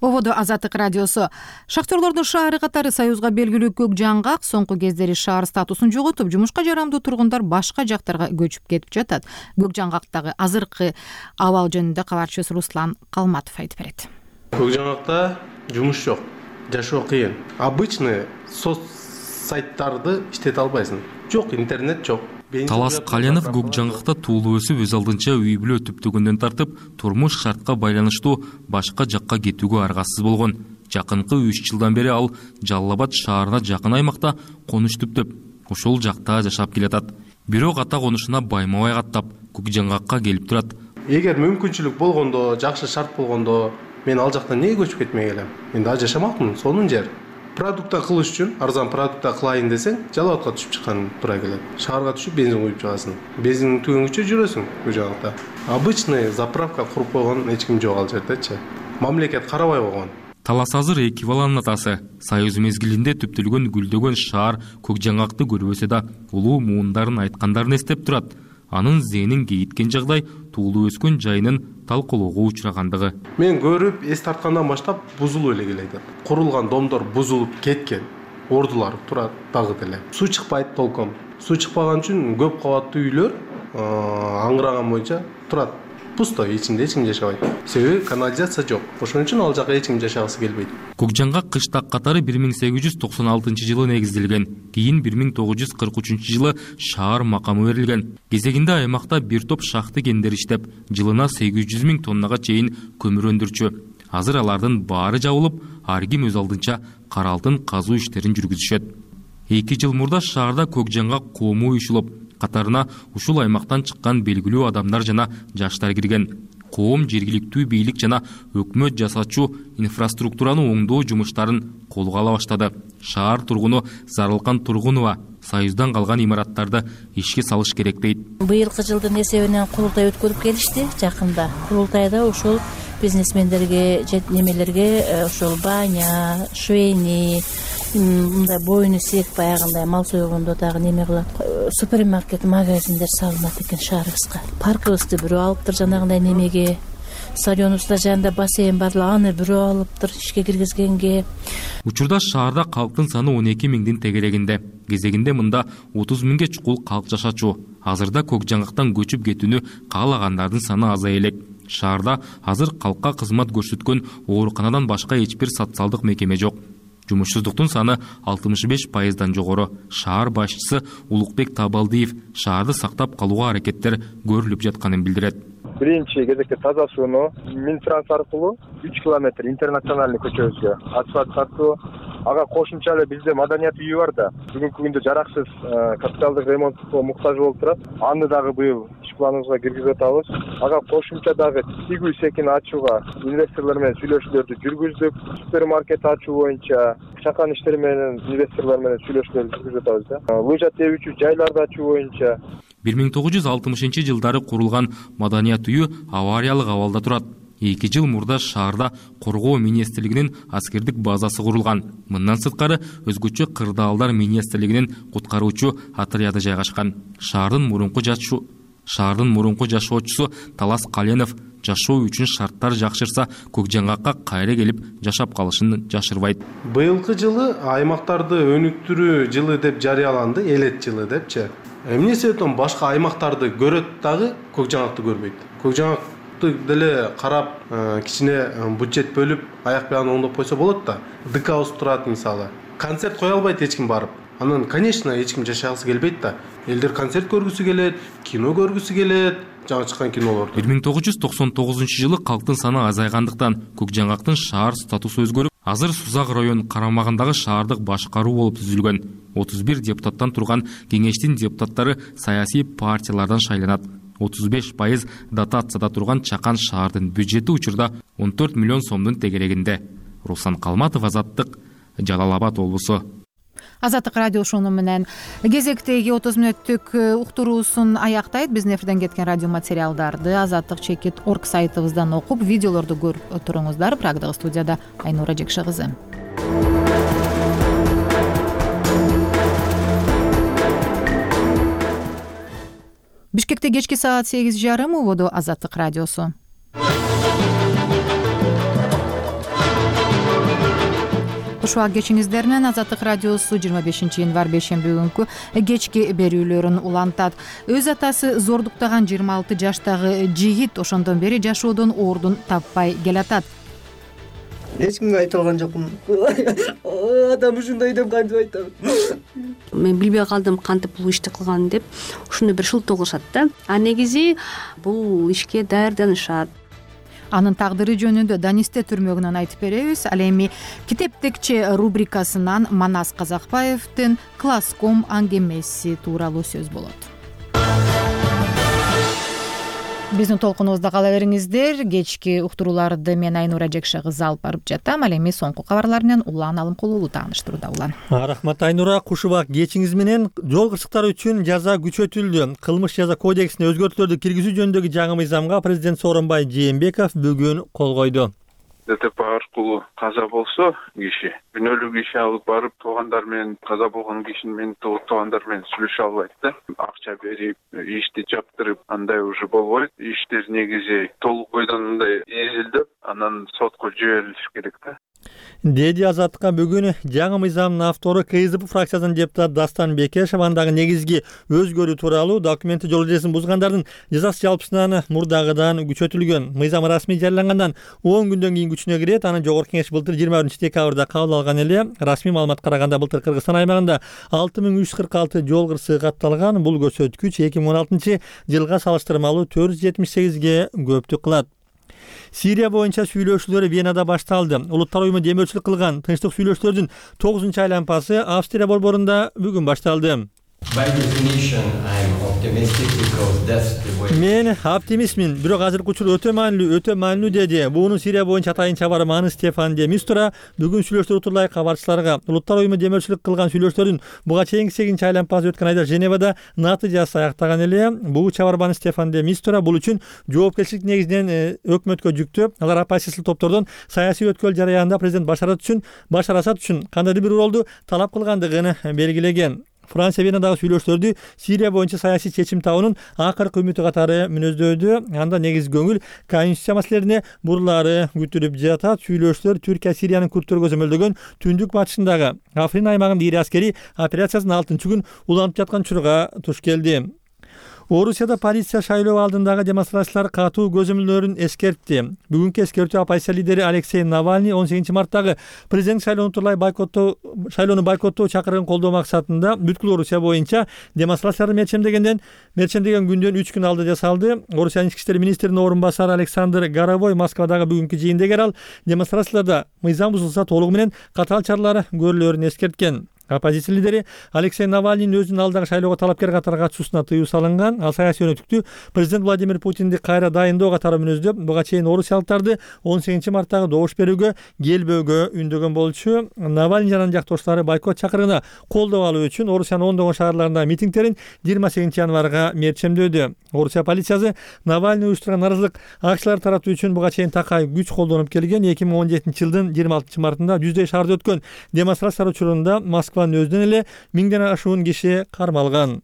Ободо Азаттык радиосу. Шахтерлордун шаары катары Союзга белгилүү көк жаңгак соңку кездери шаар статусун жоготуп, жумушка жарамдуу тургундар башка жактарга көчүп кетип жатат. Көк жаңгактагы азыркы абал жөнүндө кабарчыбыз Руслан Калматов айтып берет. Көк жаңгакта жумуш жок, жашоо кыйын. Обычный соц сайттарды иштете албайсың. Жок, интернет жок. Талас Каленов көк жаңгакта туулуп өсүп, өз алдынча үй бүлө түптөгөндөн тартып, турмуш шартка байланыштуу башка жакка кетүүгө аргасыз болгон. Жакынкы 3 жылдан бери ал Жалал Абад шаарына жакын аймакта конуш түптөп, ошол жакта жашап келатат. Бирок ата конушуна байма-бай каттап, көк жаңгакка келип турат. Эгер мүмкүнчүлүк болгондо, жакшы шарт болгондо, мен ал жактан эмнеге көчүп кетмей келем? Мен да жашамакмын, сонун жер. Продукта кылыш үчүн, арзан продукта кылайын десең, Жалал Абадка түшүп чыккан туура келет. Шаарга түшүп бензин куюп чыгасың. Бензиндин түгөнгүчө жүрөсүң көк жаңгакта. Обычный заправка куруп койгон эч ким жок ал жердечи. Мамлекет карабай койгон. Талас азыр 2 баланын атасы. Союз мезгилинде түптөлгөн гүлдөгөн шаар көк жаңгакты көрбөсө да, улуу муундарын айткандарын эстеп турат. Анын зээнин кейиткен жагдай туулуп өскөн жайынын талкуулоого учурагандыгы. Мен көрүп, эс тарткандан баштап бузулуп эле келет. Курулган домдор бузулуп кеткен. Ордулар турат дагы деле. Суу чыкпайт толком. Суу чыкпаган үчүн көп кабаттуу үйлөр аңгыраган боюнча турат. Пусто, ичинде эч ким жашабайт. Себеби канализация жок. Ошон үчүн ал жакка эч ким жашагысы келбейт. Көк жаңгак кыштак катары 1896 жылы негизделген. Кийин 1943 жылы шаар макамы берилген. Кезегинде аймакта бир топ шахты кендер иштеп, жылына 800 000 тоннага чейин көмүр өндүрчү. Азыр алардын баары жабылып, ар ким өз алдынча кара алтын казуу иштерин жүргүзүшөт. 2 жыл мурда шаарда көк жаңгак коому уюшулуп, катарына ушул аймактан чыккан белгилүү адамдар жана жаштар кирген. Коом жергиликтүү бийлик жана өкмөт жасачу инфраструктураны оңдоо жумуштарын колго ала баштады. Шаар тургуну Зарылкан Тургунова Союздан калган имараттарды ишке салыш керек дейт. Быйылкы жылдын эсебинен курултай өткөрүп келишти жакында. Курултайда ошол бизнесмендерге, немелерге ошол баня, швейни, мындай боюну сек баягындай мал сойгондо дагы неме кылат. Супермаркет, магазиндер салынат экен шаарыбызга. Паркыбызды бирөө алыптыр жанагындай немеге. Стадионубузда жанында бассейн бар, аны бирөө алыптыр ишке киргизгенге. Учурда шаарда калктын саны 12 000дин тегерегинде. Кезегинде мында 30 000ге чукул калк жашачу. Азырда көк жаңгактан көчүп кетүүнү каалагандардын саны азая элек. Шаарда азыр калкка кызмат көрсөткөн ооруканадан башка эч бир социалдык мекеме жок. Жумушсуздуктун саны 65%дан жогору. Шаар башчысы Улукбек Табалдиев шаарды сактап калууга аракеттер көрүлүп жатканын билдирет. Биринчи кезекте таза сууну Минтранс аркылуу 3 километр интернациональный көчөбүзгө асфальт тартуу. Ага кошумча эле бизде маданият үйү бар да, бүгүнкү күндө жараксыз капиталдык ремонтко муктаж болуп турат. Аны дагы быйыл иш планыбызга киргизип атабыз. Ага кошумча дагы тигүү секин ачууга инвесторлор менен сүйлөшүүлөрдү жүргүздүк. Супермаркет ачуу боюнча чакан иштери менен инвесторлор менен сүйлөшүүлөрдү жүргүзүп атабыз да. Лыжа тебүүчү жайларды ачуу боюнча 1960 жылдары курулган маданият үйү авариялык абалда турат. 2 жыл мурда шаарда коргоо министрлигинин аскердик базасы курулган. Мындан сырткары өзгөчө кырдаалдар министрлигинин куткаруучу отряды жайгашкан. Шаардын мурунку жашоочусу Талас Каленов жашоо үчүн шарттар жакшырса, көк жаңгакка кайра келип жашап калышын жашырбайт. Быйылкы жылы аймактарды өнүктүрүү жылы деп жарыяланды, элет жылы депчи. Эмне себептен башка аймактарды көрөт дагы көк жаңгакты көрбөйт. Көк жаңгакты деле карап, кичине бюджет бөлүп, аяк бягын оңдоп койсо болот да. ДК турат мисалы. Концерт кое албайт эч ким барып. Анан, конечно, эч ким жашагысы келбейт да. Элдер концерт көргүсү келет, кино көргүсү келет, жаңы чыккан кинолорду. 1999 жылы калктын саны азайгандыктан көк жаңгактын шаар статусу өзгөрүп, Азыр Сузак район карамагындагы шаардык башкаруу болуп түзүлгөн. 31 депутаттан турган кеңештин депутаттары саясий партиялардан шайланат. 35% дотацияда турган Чакан шаардын бюджети учурда 14 миллион сомдун тегерегинде. Руслан Калматов, Азаттык, Жалал Абад облусу. Азаттык радио ушуну менен кезектеги 30 мүнөттүк уктуруусун аяктайт. Биздин эфирден кеткен радио материалдарды azattik.org сайтыбыздан окуп, видеолорду көрүп туруңуздар. Прагдагы студияда Айнура Жекше кызы. Бишкекте кечки саат 8:30 убоду Азаттык радиосу. Кушуак кечиңиздер менен Азаттык радиосу 25 январь бейшемби күнкү кечки берүүлөрүн улантат. Өз атасы зордуктаган 26 жаштагы жигит ошондон бери жашоодон ордун таппай келатат. Эч кимге айта алган жокмун. Адам ушундай деп кантип айтам? Мен билбей калдым кантип бул ишти кылганын деп. Ушуну бир шылтоо кылышат да. А негизи бул ишке даярданышат. Анын тагдыры жөнүндө Данисте түрмөгүнөн айтып беребиз. Ал эми китептекче рубрикасынан Манас Казакбаевдин Класском аңгемеси тууралуу сөз болот. Биздин толкунубузда кала бериңиздер. Кечки уктурууларды мен Айнура Жекше кызы алып барып жатам. Ал эми соңку кабарлар менен Улан Алымкулуулу тааныштырууда. Улан. Рахмат Айнура. Кушубак кечиңиз менен жол кырсыктары үчүн жаза күчөтүлдү. Кылмыш жаза кодексине өзгөртүүлөрдү киргизүү жөнүндөгү жаңы мыйзамга президент Сооронбай Жээнбеков бүгүн кол койду. ДТП аркылуу каза болсо киши күнөөлүү иши алып барып туугандар менен каза болгон кишинин менен туугандар менен сүйлөшө албайт да. Акча берип, ишти жаптырып, андай уже болбойт. Иштер негизи толук бойдон мындай изилдеп, анан сотко жиберилиш керек да. Деди Азаттыкка бүгүн жаңы мыйзамдын автору КСДП фракциясынын депутаты Дастан Бекешев андагы негизги өзгөрүү тууралуу документти жол эрежесин бузгандардын жазасы жалпысынан мурдагыдан күчөтүлгөн. Мыйзам расмий жарыялангандан 10 күндөн кийин күчүнө кирет. Анын жогорку кеңеш былтыр 21-декабрда кабыл алган эле. Расмий маалыматка караганда былтыр Кыргызстан аймагында 6346 жол кырсыгы катталган. Бул көрсөткүч 2016-жылга салыштырмалуу 478ге көптүк кылат. Сирия боюнча сүйлөшүүлөр Венада башталды. Улуттар уюму демөөрчүлүк кылган тынчтык сүйлөшүүлөрдүн 9-чу айланпасы Австрия борборунда бүгүн башталды. Мен оптимистмин, бирок азыркы учур өтө маанилүү деди. Буунун Сирия боюнча атайынча барманы Стефан де Мистура бүгүн сүйлөштөр утурлай кабарчыларга. Улуттар уюму демөөрчүлүк кылган сүйлөштөрдүн буга чейинки 8-чи айланпасы өткөн айда Женевада натыйжасы аяктаган эле. Бул чабарманы Стефан де Мистура бул үчүн жоопкерчилик негизинен өкмөткө жүктөп, алар оппозициялык топтордон саясий өткөл жараянында президент Башар Асад үчүн кандайдыр бир ролду талап кылгандыгын белгилеген. Франция Венадагы сүйлөштөрдү Сирия боюнча саясий чечим табуунун акыркы үмүтү катары мүнөздөдү. Анда негизи көңүл конституция маселелерине бурлары күтүлүп жатат. Сүйлөштөр Түркия Сириянын курттөргө көзөмөлдөгөн түндүк батышындагы Африн аймагында ири аскерий операциясынын 6-күн уланып жаткан учурга туш келди. Орусияда полиция шайлоо алдындагы демонстрациялар катуу көзөмөлдөрүн эскертти. Бүгүнкү эскертүү оппозиция лидери Алексей Навальный 18-марттагы президент шайлоону бойкоттоо чакырыгын колдоо максатында бүткүл Орусия боюнча демонстрацияларды мерчемдеген күндөн 3 күн алда жасалды. Орусиянын ички иштер министринин орун басары Александр Горовой Москвадагы бүгүнкү жыйында ал демонстрацияларда мыйзам бузулса толугу менен катаал чаралар көрүлөрүн эскерткен. Оппозиция лидери Алексей Навальныйдын өзүнүн алдагы шайлоого талапкер катары катышуусуна тыюу салынган. Ал саясий өнөктүктү президент Владимир Путинди кайра дайындоо катары мүнөздөп, буга чейин орусиялыктарды 18-марттагы добуш берүүгө келбөөгө үндөгөн болчу. Навальный жана жактоштары бойкот чакырыгына колдоо алуу үчүн Орусиянын ондогон шаарларында митингдерин 28-январга мерчемдөдү. Орусия полициясы Навальный уюштурган нааразылык акциялар таратуу үчүн буга чейин такай күч колдонуп келген. 2017-жылдын 26-мартында 100дөй шаарда өткөн демонстрациялар учурунда Москванын өзүнөн эле 1000ден ашуун киши кармалган.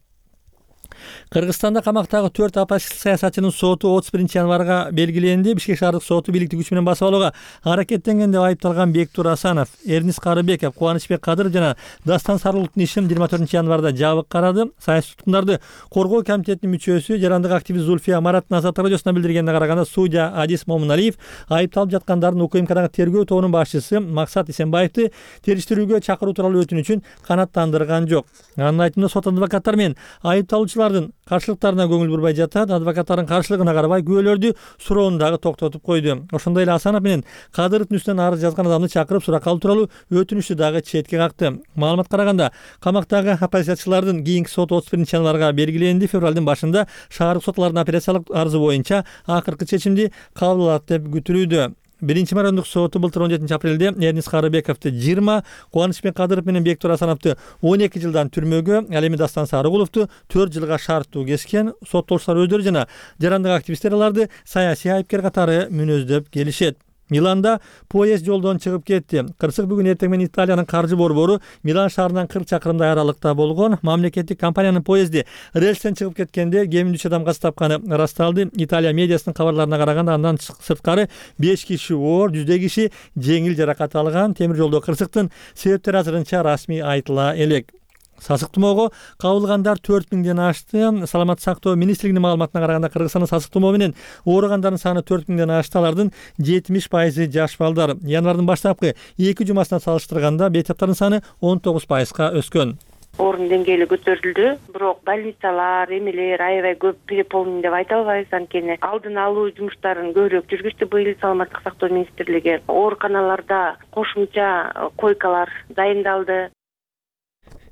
Кыргызстанда камактагы 4 оппозициялык саясатчынын соту 31-январга белгиленди. Бишкек шаардык соту бийликти күч менен басып алууга аракеттенген деп айыпталган Бектур Асанов, Эрнис Карыбеков, Кубанычбек Кадыров жана Дастан Сарыловдун ишин 24-январда жабык карады. Саясий туткундарды коргоо комитетинин мүчөсү, жарандык активист Зульфия Мараттын Азаттык радиосуна билдиргенине караганда, судья Адис Момуналиев айыпталып жаткандардын УКМКдагы тергөө тобунун башчысы Максат Исенбаевди териштирүүгө чакыруу тууралуу өтүнүчүн канааттандырган жок. Анын айтымында сот адвокаттар менен айыпталуучулар алардын каршылыктарына көңүл бурбай жатат. Адвокаттардын каршылыгына карабай күбөлөрдү суроону дагы токтотуп койду. Ошондой эле Асанов менен Кадыровдун үстүнөн арыз жазган адамды чакырып суракка алуу тууралуу өтүнүштү дагы четке какты. Маалыматка караганда камактагы оппозициячылардын кийинки сот 31 январга белгиленди. Февралдын башында шаардык сотлордун апелляциялык арызы боюнча акыркы чечимди кабыл алат деп күтүлүүдө. Биринчи марандык соту былтыр 17 апрелде Эрнис Карыбековду 20, Кубанычбек Кадыров менен Бектур Асановду 12 жылдан түрмөгө, ал эми Дастан Сарыгуловду 4 жылга шарттуу кескен. Соттолуштар өздөрү жана жарандык активисттер аларды саясий айыпкер катары мүнөздөп келишет. Миланда поезд жолдон чыгып кетти. Кырсык бүгүн эртең менен Италиянын каржы борбору Милан шаарынан 40 чакырымдай аралыкта болгон мамлекеттик компаниянын поезди рельстен чыгып кеткенде кеминде 3 адам каза тапканы ырасталды. Италия медиасынын кабарларына караганда андан сырткары 5 киши оор, 100 киши жеңил жаракат алган. Темир жолдо кырсыктын себептери азырынча расмий айтыла элек. Сасык тумоого кабылгандар 4000ден ашты. Саламаттык сактоо министрлигинин маалыматына караганда Кыргызстанда сасык тумоо менен ооругандардын саны 4000ден ашты. Алардын 70% жаш балдар. Январдын баштапкы 2 жумасына салыштырганда бейтаптардын саны 19%га өскөн. Орун деңгээли көтөрүлдү, бирок больницалар, эмелер аябай көп переполнен деп айта албайбыз, анткени алдын алуу жумуштарын көбүрөөк жүргүздү быйыл саламаттык сактоо министрлиги. Ооруканаларда кошумча койкалар дайындалды.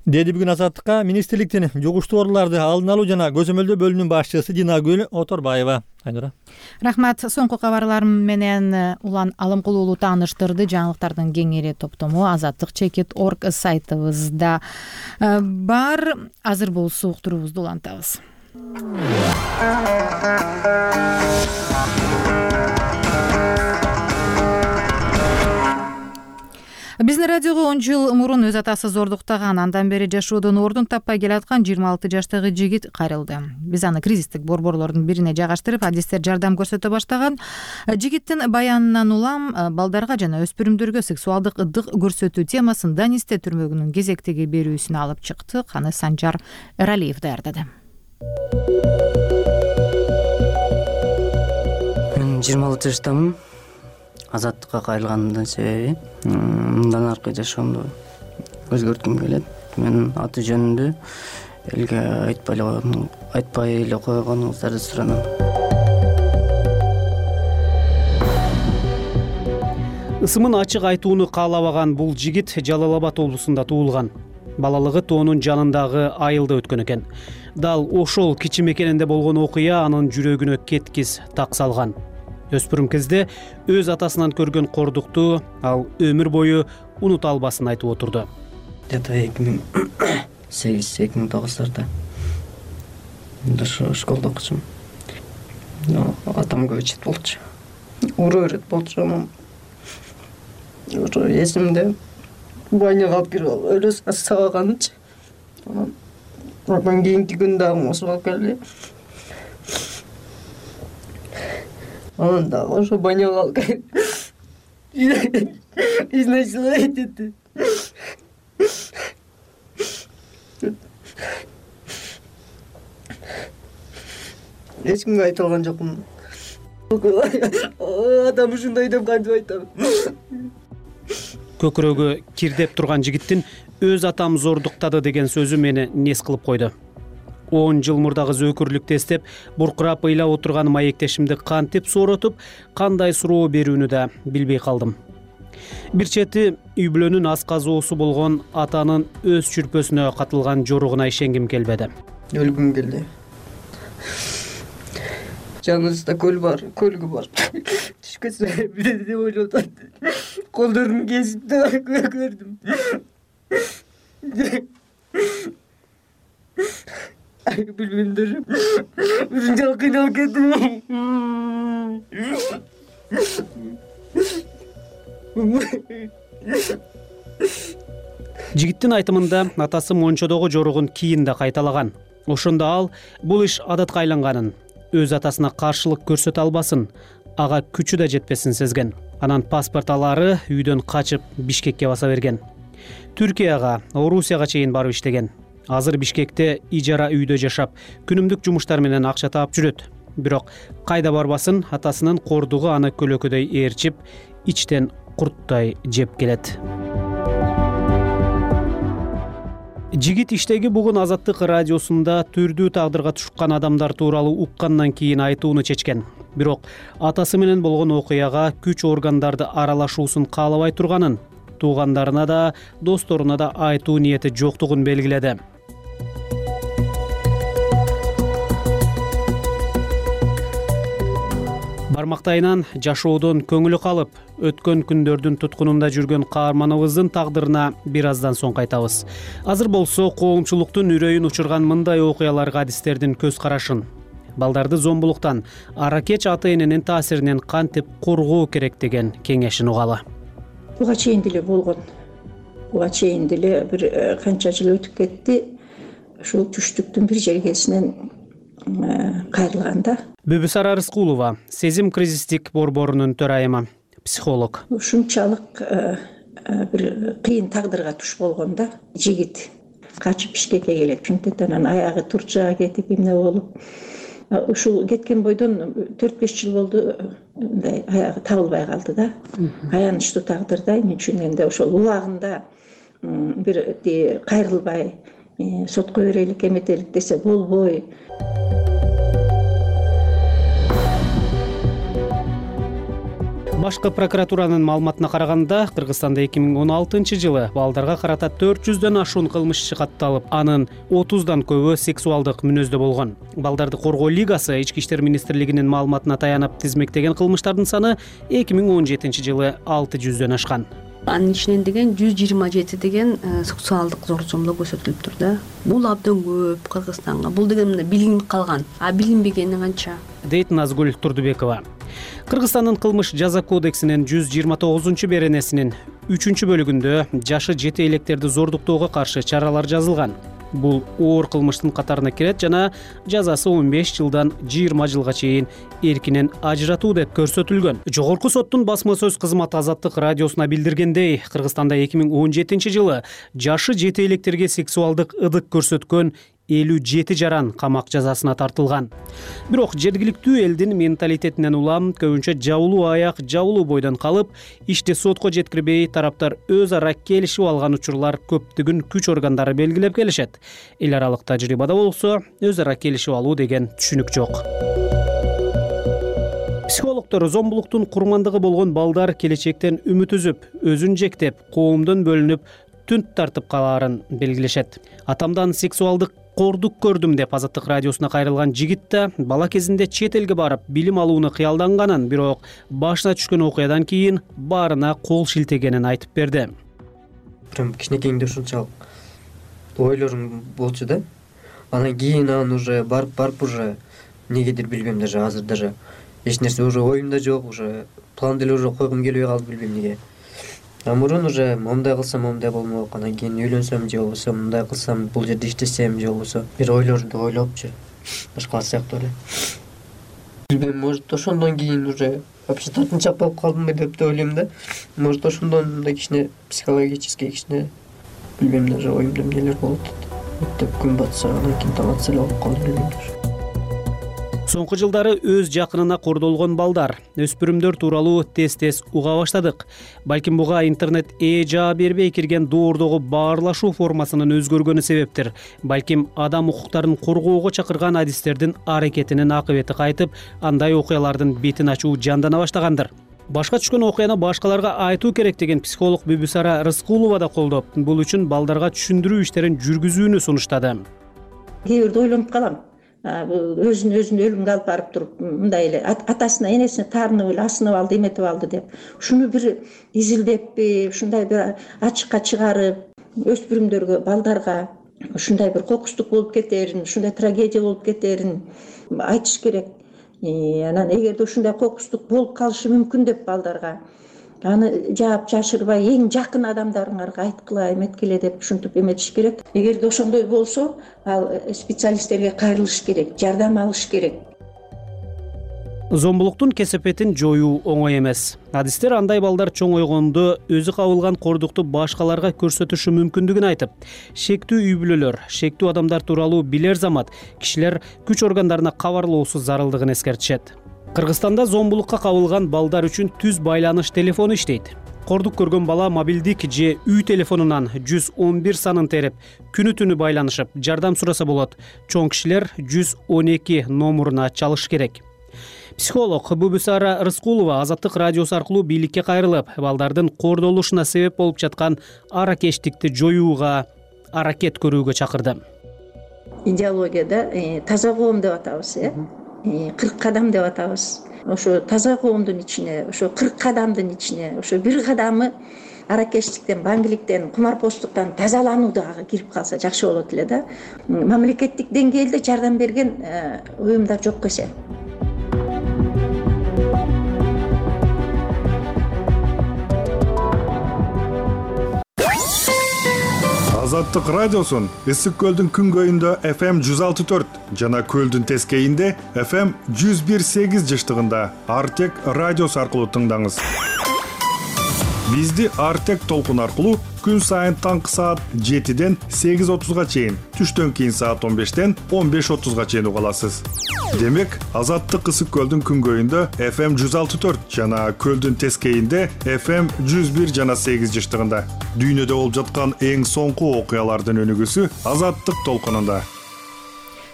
Деди бүгүн Азаттыкка министрликтин жугуштуу ооруларды алдын алуу жана көзөмөлдөө бөлүмүнүн башчысы Динагүл Оторбаева. Айнура. Рахмат. Соңку кабарларым менен Улан Алымкулуулу тааныштырды. Жаңылыктардын кеңири топтому azattik.org сайтыбызда бар. Азыр болсо уктуруубузду улантабыз. Биздин радиого 10 жыл мурун өз атасы зордуктаган, андан бери жашоодон ордун таппай келаткан 26 жаштагы жигит кайрылды. Биз аны кризистик борборлордун бирине жайгаштырып, адистер жардам көрсөтө баштаган. Жигиттин баянынан улам балдарга жана өспүрүмдөргө сексуалдык ыдык көрсөтүү темасын Данисте түрмөгүнүн кезектеги берүүсүнө алып чыкты. Аны Санжар Эралиев даярдады. Мен 26 жаштамын. Азаттыкка кайрылганымдын себеби мындан аркы жашоомду өзгөрткүм келет. Мен аты жөнүндө элге айтпай эле койгонуңуздарды суранам. Ысымын ачык айтууну каалабаган бул жигит Жалал Абад облусунда туулган. Балалыгы тоонун жанындагы айылда өткөн экен. Дал ошол кичи мекенинде болгон окуя анын жүрөгүнө кеткис так салган. Өспүрүм кезде өз атасынан көргөн кордукту ал өмүр бою унута албасын айтып отурду. Где-то 2008-2009 школда окучумун. Атам көчөт болчу. Уруу өрөт болчу. Ошо эсимде баняга алып кирип өлө сабаганчы. Андан кийинки күн дагы ошо алып келди. Анан дагы ошо баняга алып келип изнасиловать этти. Эч кимге айта алган жокмун. Адам ушундай деп кантип айтам. Көкүрөгү кирдеп турган жигиттин өз атам зордуктады деген сөзү мени нес кылып койду. 10 жыл мурдагы зөөкүрлүктү эстеп, буркурап ыйлап отурган маектешимди кантип сооротуп, кандай суроо берүүнү да билбей калдым. Бир чети үй бүлөнүн асказоосу болгон атанын өз чүрпөсүнө катылган жоругуна ишенгим келбеди. Өлгүм келди. Жаныбызда көлгү бар. Түшкөсө деп ойлоп атты. Колдорун кесип да көрдүм. Билбеймдир. Ушунчалык кыйналып кеттим. Жигиттин айтымында атасы мончодогу жоругун кийин да кайталаган. Ошондо ал бул иш адатка айланганын, өз атасына каршылык көрсөтө албасын, ага күчү да жетпесин сезген. Анан паспорт алары үйдөн качып Бишкекке баса берген. Түркияга, Орусияга чейин барып иштеген. Азыр Бишкекте ижара үйдө жашап, күнүмдүк жумуштар менен акча таап жүрөт. Бирок кайда барбасын, атасынын кордугу аны көлөкөдөй ээрчип, ичтен курттай жеп келет. Жигит иштеги бүгүн Азаттык радиосунда түрдүү тагдырга тушкан адамдар тууралуу уккандан кийин айтууну чечкен. Бирок атасы менен болгон окуяга күч органдарды аралашуусун каалабай турганын, туугандарына да, досторуна да айтуу ниети жоктугун белгиледи. Бармактайынан жашоодон көңүлү калып, өткөн күндөрдүн туткунунда жүргөн каарманыбыздын тагдырына бир аздан соң кайтабыз. Азыр болсо коомчулуктун үрөйүн учурган мындай окуяларга адистердин көз карашын, балдарды зомбулуктан, аракеч ата-эненин таасиринен кантип коргоо керек деген кеңешин угалы. Буга чейин деле болгон. Буга чейин деле бир канча жыл өтүп кетти. Ушул түштүктүн бир жергесинен кайрылганда. Бүбүсара Рыскулова, сезим кризистик борборунун төрайымы, психолог. Ушунчалык бир кыйын тагдырга туш болгондо жигит качып Бишкекке келет. Чынтет анан аягы Турчага кетип эмне болуп, ушул кеткен бойдон 4-5 жыл болду, мындай аягы табылбай калды да. Аянычтуу тагдырда мен түшүнгөндө ошол убагында бир кайрылбай сотко берелик, эметелик десе болбой. Башкы прокуратуранын маалыматына караганда, Кыргызстанда 2016-жылы балдарга карата 400дөн ашуун кылмыш катталып, анын 30дан көбү сексуалдык мүнөздө болгон. Балдарды коргоо лигасы Ички иштер министрлигинин маалыматына таянып тизмектеген кылмыштардын саны 2017-жылы 600дөн ашкан. Анын ичинен деген 127 деген сексуалдык зор-зомбулук көрсөтүлүптүр да. Бул абдан көп Кыргызстанга. Бул деген билинип калган, а билинбегени канча? Дейт Назгүл Турдубекова. Кыргызстандын кылмыш жаза кодексинин 129-беренесинин 3-бөлүгүндө жашы жете электерди зордуктоого каршы чаралар жазылган. Бул оор кылмыштын катарына кирет жана жазасы 15 жылдан 20 жылга чейин эркинен ажыратуу деп көрсөтүлгөн. Жогорку соттун басма сөз кызматы Азаттык радиосуна билдиргендей, Кыргызстанда 2017-жылы жашы жете электерге сексуалдык ыдык көрсөткөн 57 жаран камак жазасына тартылган. Бирок жергиликтүү элдин менталитетинен улам көбүнчө жабылуу аяк, жабылуу бойдон калып, ишти сотко жеткирбей тараптар өз ара келишип алган учурлар көптүгүн күч органдары белгилеп келишет. Эл аралык тажрыйбада болсо, өз ара келишип алуу деген түшүнүк жок. Психологдор зомбулуктун курмандыгы болгон балдар келечектен үмүт үзүп, өзүн жектеп, коомдон бөлүнүп, түнт тартып калаарын белгилешет. Атамдан сексуалдык кордук көрдүм деп Азаттык радиосуна кайрылган жигит да бала кезинде чет элге барып билим алууну кыялданганын, бирок башына түшкөн окуядан кийин баарына кол шилтегенин айтып берди. Прям кичинекейинде ушунчалык ойлорум болчу да. Анан кийин уже барып уже негедир билбейм, даже азыр даже эч нерсе уже оюмда жок, уже план деле уже койгум келбей калды, билбейм эмнеге. Мурун уже момундай кылсам момундай болмок, анан кийин үйлөнсөм же болбосо мындай кылсам, бул жерде иштесем же болбосо бир ойлорду ойлопчу башкалар сыяктуу эле. Билбейм, может ошондон кийин уже вообще тартынчаак болуп калдымбы деп ойлойм да. Может ошондон мындай кичине психологический кичине билбейм, даже оюмда эмнелер болот деп күн батса анан кийин таң атса эле болуп калды, билбейм даже. Соңку жылдары өз жакынына кордолгон балдар, өспүрүмдөр тууралуу тез-тез уга баштадык. Балким буга интернет жаа бербей кирген доордогу баарлашуу формасынын өзгөргөнү себептир. Балким адам укуктарын коргоого чакырган адистердин аракетинин акыбети кайтып, андай окуялардын бетин ачуу жандана баштагандыр. Башка түшкөн окуяны башкаларга айтуу керек деген психолог Бүбүсара Рыскулова да колдоп, бул үчүн балдарга түшүндүрүү иштерин жүргүзүүнү сунуштады. Кээ бирде ойлонуп калам. Өзүн өлүмгө алып барып туруп, мындай эле атасына, энесине таарынып эле асынып алды, эметип алды деп. Ушуну бир изилдеппи, ушундай бир ачыкка чыгарып, өспүрүмдөргө, балдарга ушундай бир кокустук болуп кетерин, ушундай трагедия болуп кетерин айтыш керек. Анан эгерде ушундай кокустук болуп калышы мүмкүн деп балдарга, аны жаап жашырбай эң жакын адамдарыңарга айткыла, эметкиле деп ушинтип эметиш керек. Эгерде ошондой болсо, ал специалисттерге кайрылыш керек, жардам алыш керек. Зомбулуктун кесепетин жоюу оңой эмес. Адистер андай балдар чоңойгондо өзү кабылган кордукту башкаларга көрсөтүшү мүмкүндүгүн айтып, шектүү үй бүлөлөр, шектүү адамдар тууралуу билер замат кишилер күч органдарына кабарлоосу зарылдыгын эскертишет. Кыргызстанда зомбулукка кабылган балдар үчүн түз байланыш телефону иштейт. камкордук көргөн бала мобилдик же үй телефонунан 111 санын терип күнү түнү байланышып жардам сураса болот. Чоң кишилер 112 номуруна чалыш керек. Психолог Бубусара Рыскулова Азаттык радиосу аркылуу бийликке кайрылып, балдардын кордолушуна себеп болуп жаткан аракечтикти жоюуга аракет көрүүгө чакырды. Идеологияда таза коом деп атабыз, 40 кадам деп атабыз. Ошо таза коомдун ичине, ошо 40 кадамдын ичине, ошо бир кадамы аракечтиктен, баңгиликтен, кумарпоштуктан тазалануу дагы кирип калса жакшы болот эле да. Мамлекеттик деңгээлде жардам берген уюмдар жок эсен. Азаттык радиосун Ысык көлдүн күнгөйүндө FM 106.4 жана көлдүн тескейинде FM 101.8 жыштыгында Артек радиосу аркылуу тыңдаңыз. Бизди Артек толкун аркылуу күн сайын таңкы саат 7ден 8:30га чейин, түштөн кийин саат 15ден 15:30га чейин уга аласыз. Демек, Азаттык Ысык көлдүн күнгөйүндө FM 106.4 жана көлдүн тескейинде FM 101 жана 8 жыштыгында. Дүйнөдө болуп жаткан эң соңку окуялардын өнүгүүсү Азаттык толкунунда.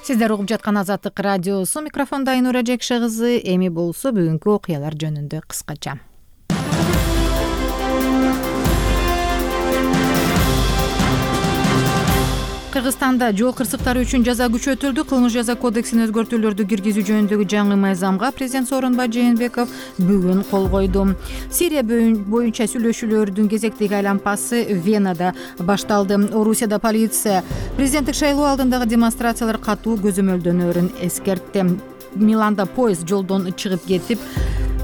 Сиздер угуп жаткан Азаттык радиосу, микрофондо Айнура Жекше кызы. Эми болсо бүгүнкү окуялар жөнүндө кыскача. Кыргызстанда жол кырсыктары үчүн жаза күчөтүлдү. Кылмыш жаза кодексине өзгөртүүлөрдү киргизүү жөнүндөгү жаңы мыйзамга президент Сооронбай Жээнбеков бүгүн кол койду. Сирия боюнча сүйлөшүүлөрдүн кезектеги айланпасы Венада башталды. Орусияда полиция президенттик шайлоо алдындагы демонстрациялар катуу көзөмөлдөнөрүн эскертти. Миланда поезд жолдон чыгып кетип,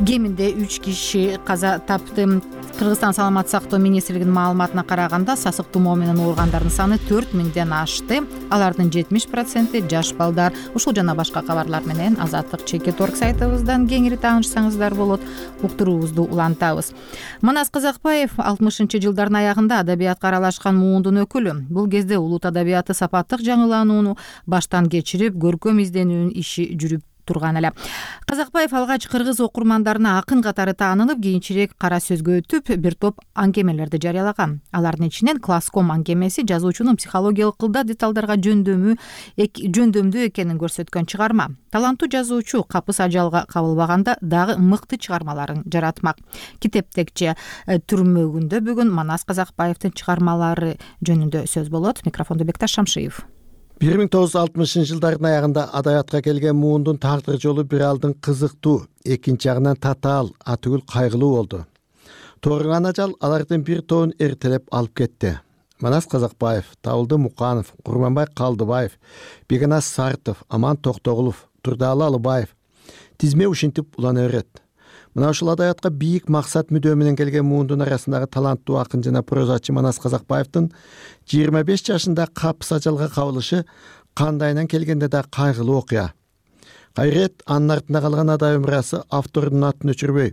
кеминде 3 киши каза тапты. Кыргызстан саламаттык сактоо министрлигинин маалыматына караганда, сасык тумоо менен ооругандардын саны 4000ден ашты. Алардын 70% жаш балдар. Ушул жана башка кабарлар менен Азаттык ЧК.орг сайтыбыздан кеңири таанышсаңыздар болот. Уктуруубузду улантабыз. Манас Казакбаев 60-жылдардын аягында адабиятка аралашкан муундун өкүлү. Бул кезде улут адабияты сапаттык жаңыланууну баштан кечирип, көркөм изденүүнүн иши жүрүп турган эле. Казакбаев алгач кыргыз окурмандарына акын катары таанылып, кийинчерээк кара сөзгө өтүп, бир топ аңкемелерди жарыялаган. Алардын ичинен Класском аңкемеси жазуучунун психологиялык кылда деталдарга жөндөмдүү экенин көрсөткөн чыгарма. Таланттуу жазуучу капыс ажалга кабылбаганда дагы мыкты чыгармаларын жаратмак. Китептекче түрмөгүндө бүгүн Манас Казакбаевдин чыгармалары жөнүндө сөз болот. Микрофондо Бекташ Шамшиев. 1960-жылдардын аягында адабиятка келген муундун тагдыр жолу бир алдын кызыктуу, экинчи жагынан татаал, атүгүл кайгылуу болду. Тууруган ажал алардын бир тобун эртелеп алып кетти. Манас Казакбаев, Табылды Муканов, Курманбай Калдыбаев, Беканас Сартов, Аман Токтогулов, Турдаалы Алыбаев тизме ушинтип улана берет. Мына ушул адабиятка бийик максат мүдөө менен келген муундун арасындагы таланттуу акын жана прозачы Манас Казакбаевдин 25 жашында капыс ажалга кабылышы кандайынан келгенде да кайгылуу окуя. Кайрет анын артында калган адабий мурасы автордун атын өчүрбөй,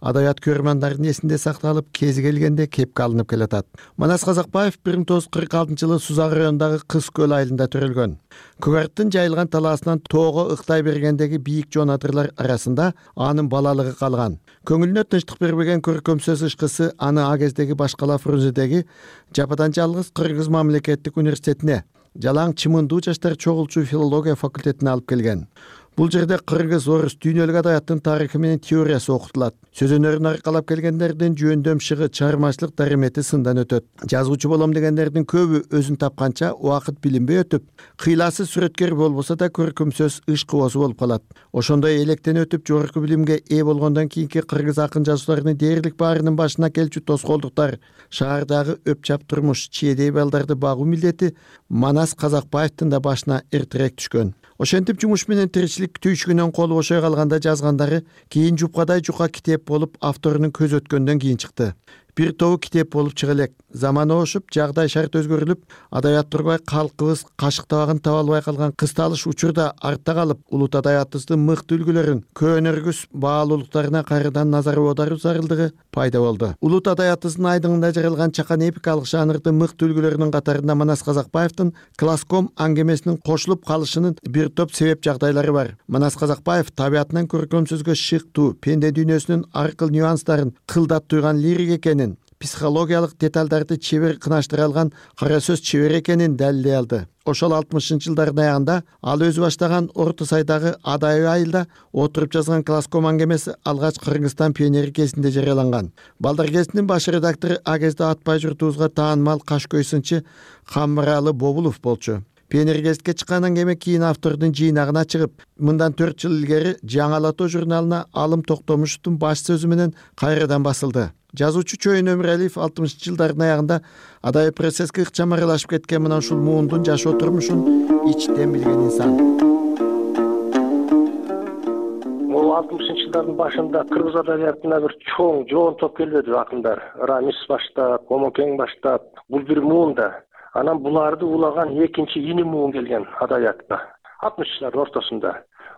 адабият көрөрмандардын эсинде сакталып, кези келгенде кепке алынып келатат. Манас Казакбаев 1946-жылы Сузак районундагы Кыз көл айылында төрөлгөн. Көгарттын жайылган талаасынан тоого ыктай бергендеги бийик жоон адырлар арасында анын балалыгы калган. Көңүлүнө тынчтык бербеген көркөм сөз ышкысы аны а кездеги Башкала Фрунзедеги жападан жалгыз Кыргыз мамлекеттик университетине, жалаң чымындуу жаштар чогулчу филология факультетине алып келген. Бул жерде кыргыз, орус, дүйнөлүк адабияттын тарыхы менен теориясы окутулат. Сөз өнөрүн аркалап келгендердин жөндөм шыгы, чыгармачылык дарымети сындан өтөт. Жазуучу болом дегендердин көбү өзүн тапканча убакыт билинбей өтүп, кыйласы сүрөткер болбосо да көркөм сөз иш кубосу болуп калат. Ошондой электен өтүп жогорку билимге ээ болгондон кийинки кыргыз акын жазуучуларынын дээрлик баарынын башына келчү тоскоолдуктар, шаардагы өпчап турмуш, чиедей балдарды багуу милдети Манас Казакбаевдин да башына эртерээк түшкөн. Ошентип жумуш менен тиричилик түйшүгүнөн колу бошой калганда жазгандары кийин жупкадай жука китеп болуп авторунун көз өткөндөн кийин чыкты. Бир тобу китеп болуп чыга элек. Заман ошуп, жагдай шарт өзгөрүлүп, адабият турбай калкыбыз кашыктабагын таба албай калган кысталыш учурда артта калып, улут адабиятыбыздын мыкты үлгүлөрүн, көөнөргүс баалуулуктарына кайрадан назар аударуу зарылдыгы пайда болду. Улут адабиятыбыздын айдыңында жаралган чакан эпикалык жанрдын мыкты үлгүлөрүнүн катарында Манас Казакбаевдин Класском аңгемесинин кошулуп калышынын бир топ себеп жагдайлары бар. Манас Казакбаев табиятынан көркөм сөзгө шыктуу, пенде дүйнөсүнүн ар кыл нюанстарын кылдат туйган лирик экенин, психологиялык деталдарды чебер кынаштыра алган кара сөз чебер экенин далилдей алды. Ошол 60-жылдардын аягында ал өзү баштаган Орто Сайдагы Адай айылда отуруп жазган класском аңгемеси алгач Кыргызстан пионери кезинде жарыяланган. Балдар кезинин баш редактору а кезде Атпай журтубузга таанымал Кашкөй сынчы Камыралы Бобулов болчу. Пионер гезитке чыккан аңгеме кийин автордун жыйнагына чыгып, мындан 4 жыл илгери Жаңалатоо журналына Алым Токтомушевдун баш сөзү менен кайрадан басылды. Жазуучу Чоюн Өмүралиев 60-жылдардын аягында Адай процесске ыкчам аралашып кеткен мына ушул муундун жашоо турмушун ичтен билген инсан. Бул 60-жылдардын башында кыргыз адабиятына бир чоң жоон топ келбеди акындар. Рамис баштап, Комокең баштап, бул бир муунда. Анан буларды улаган экинчи ини муун келген адабиятка 60-жылдардын ортосунда.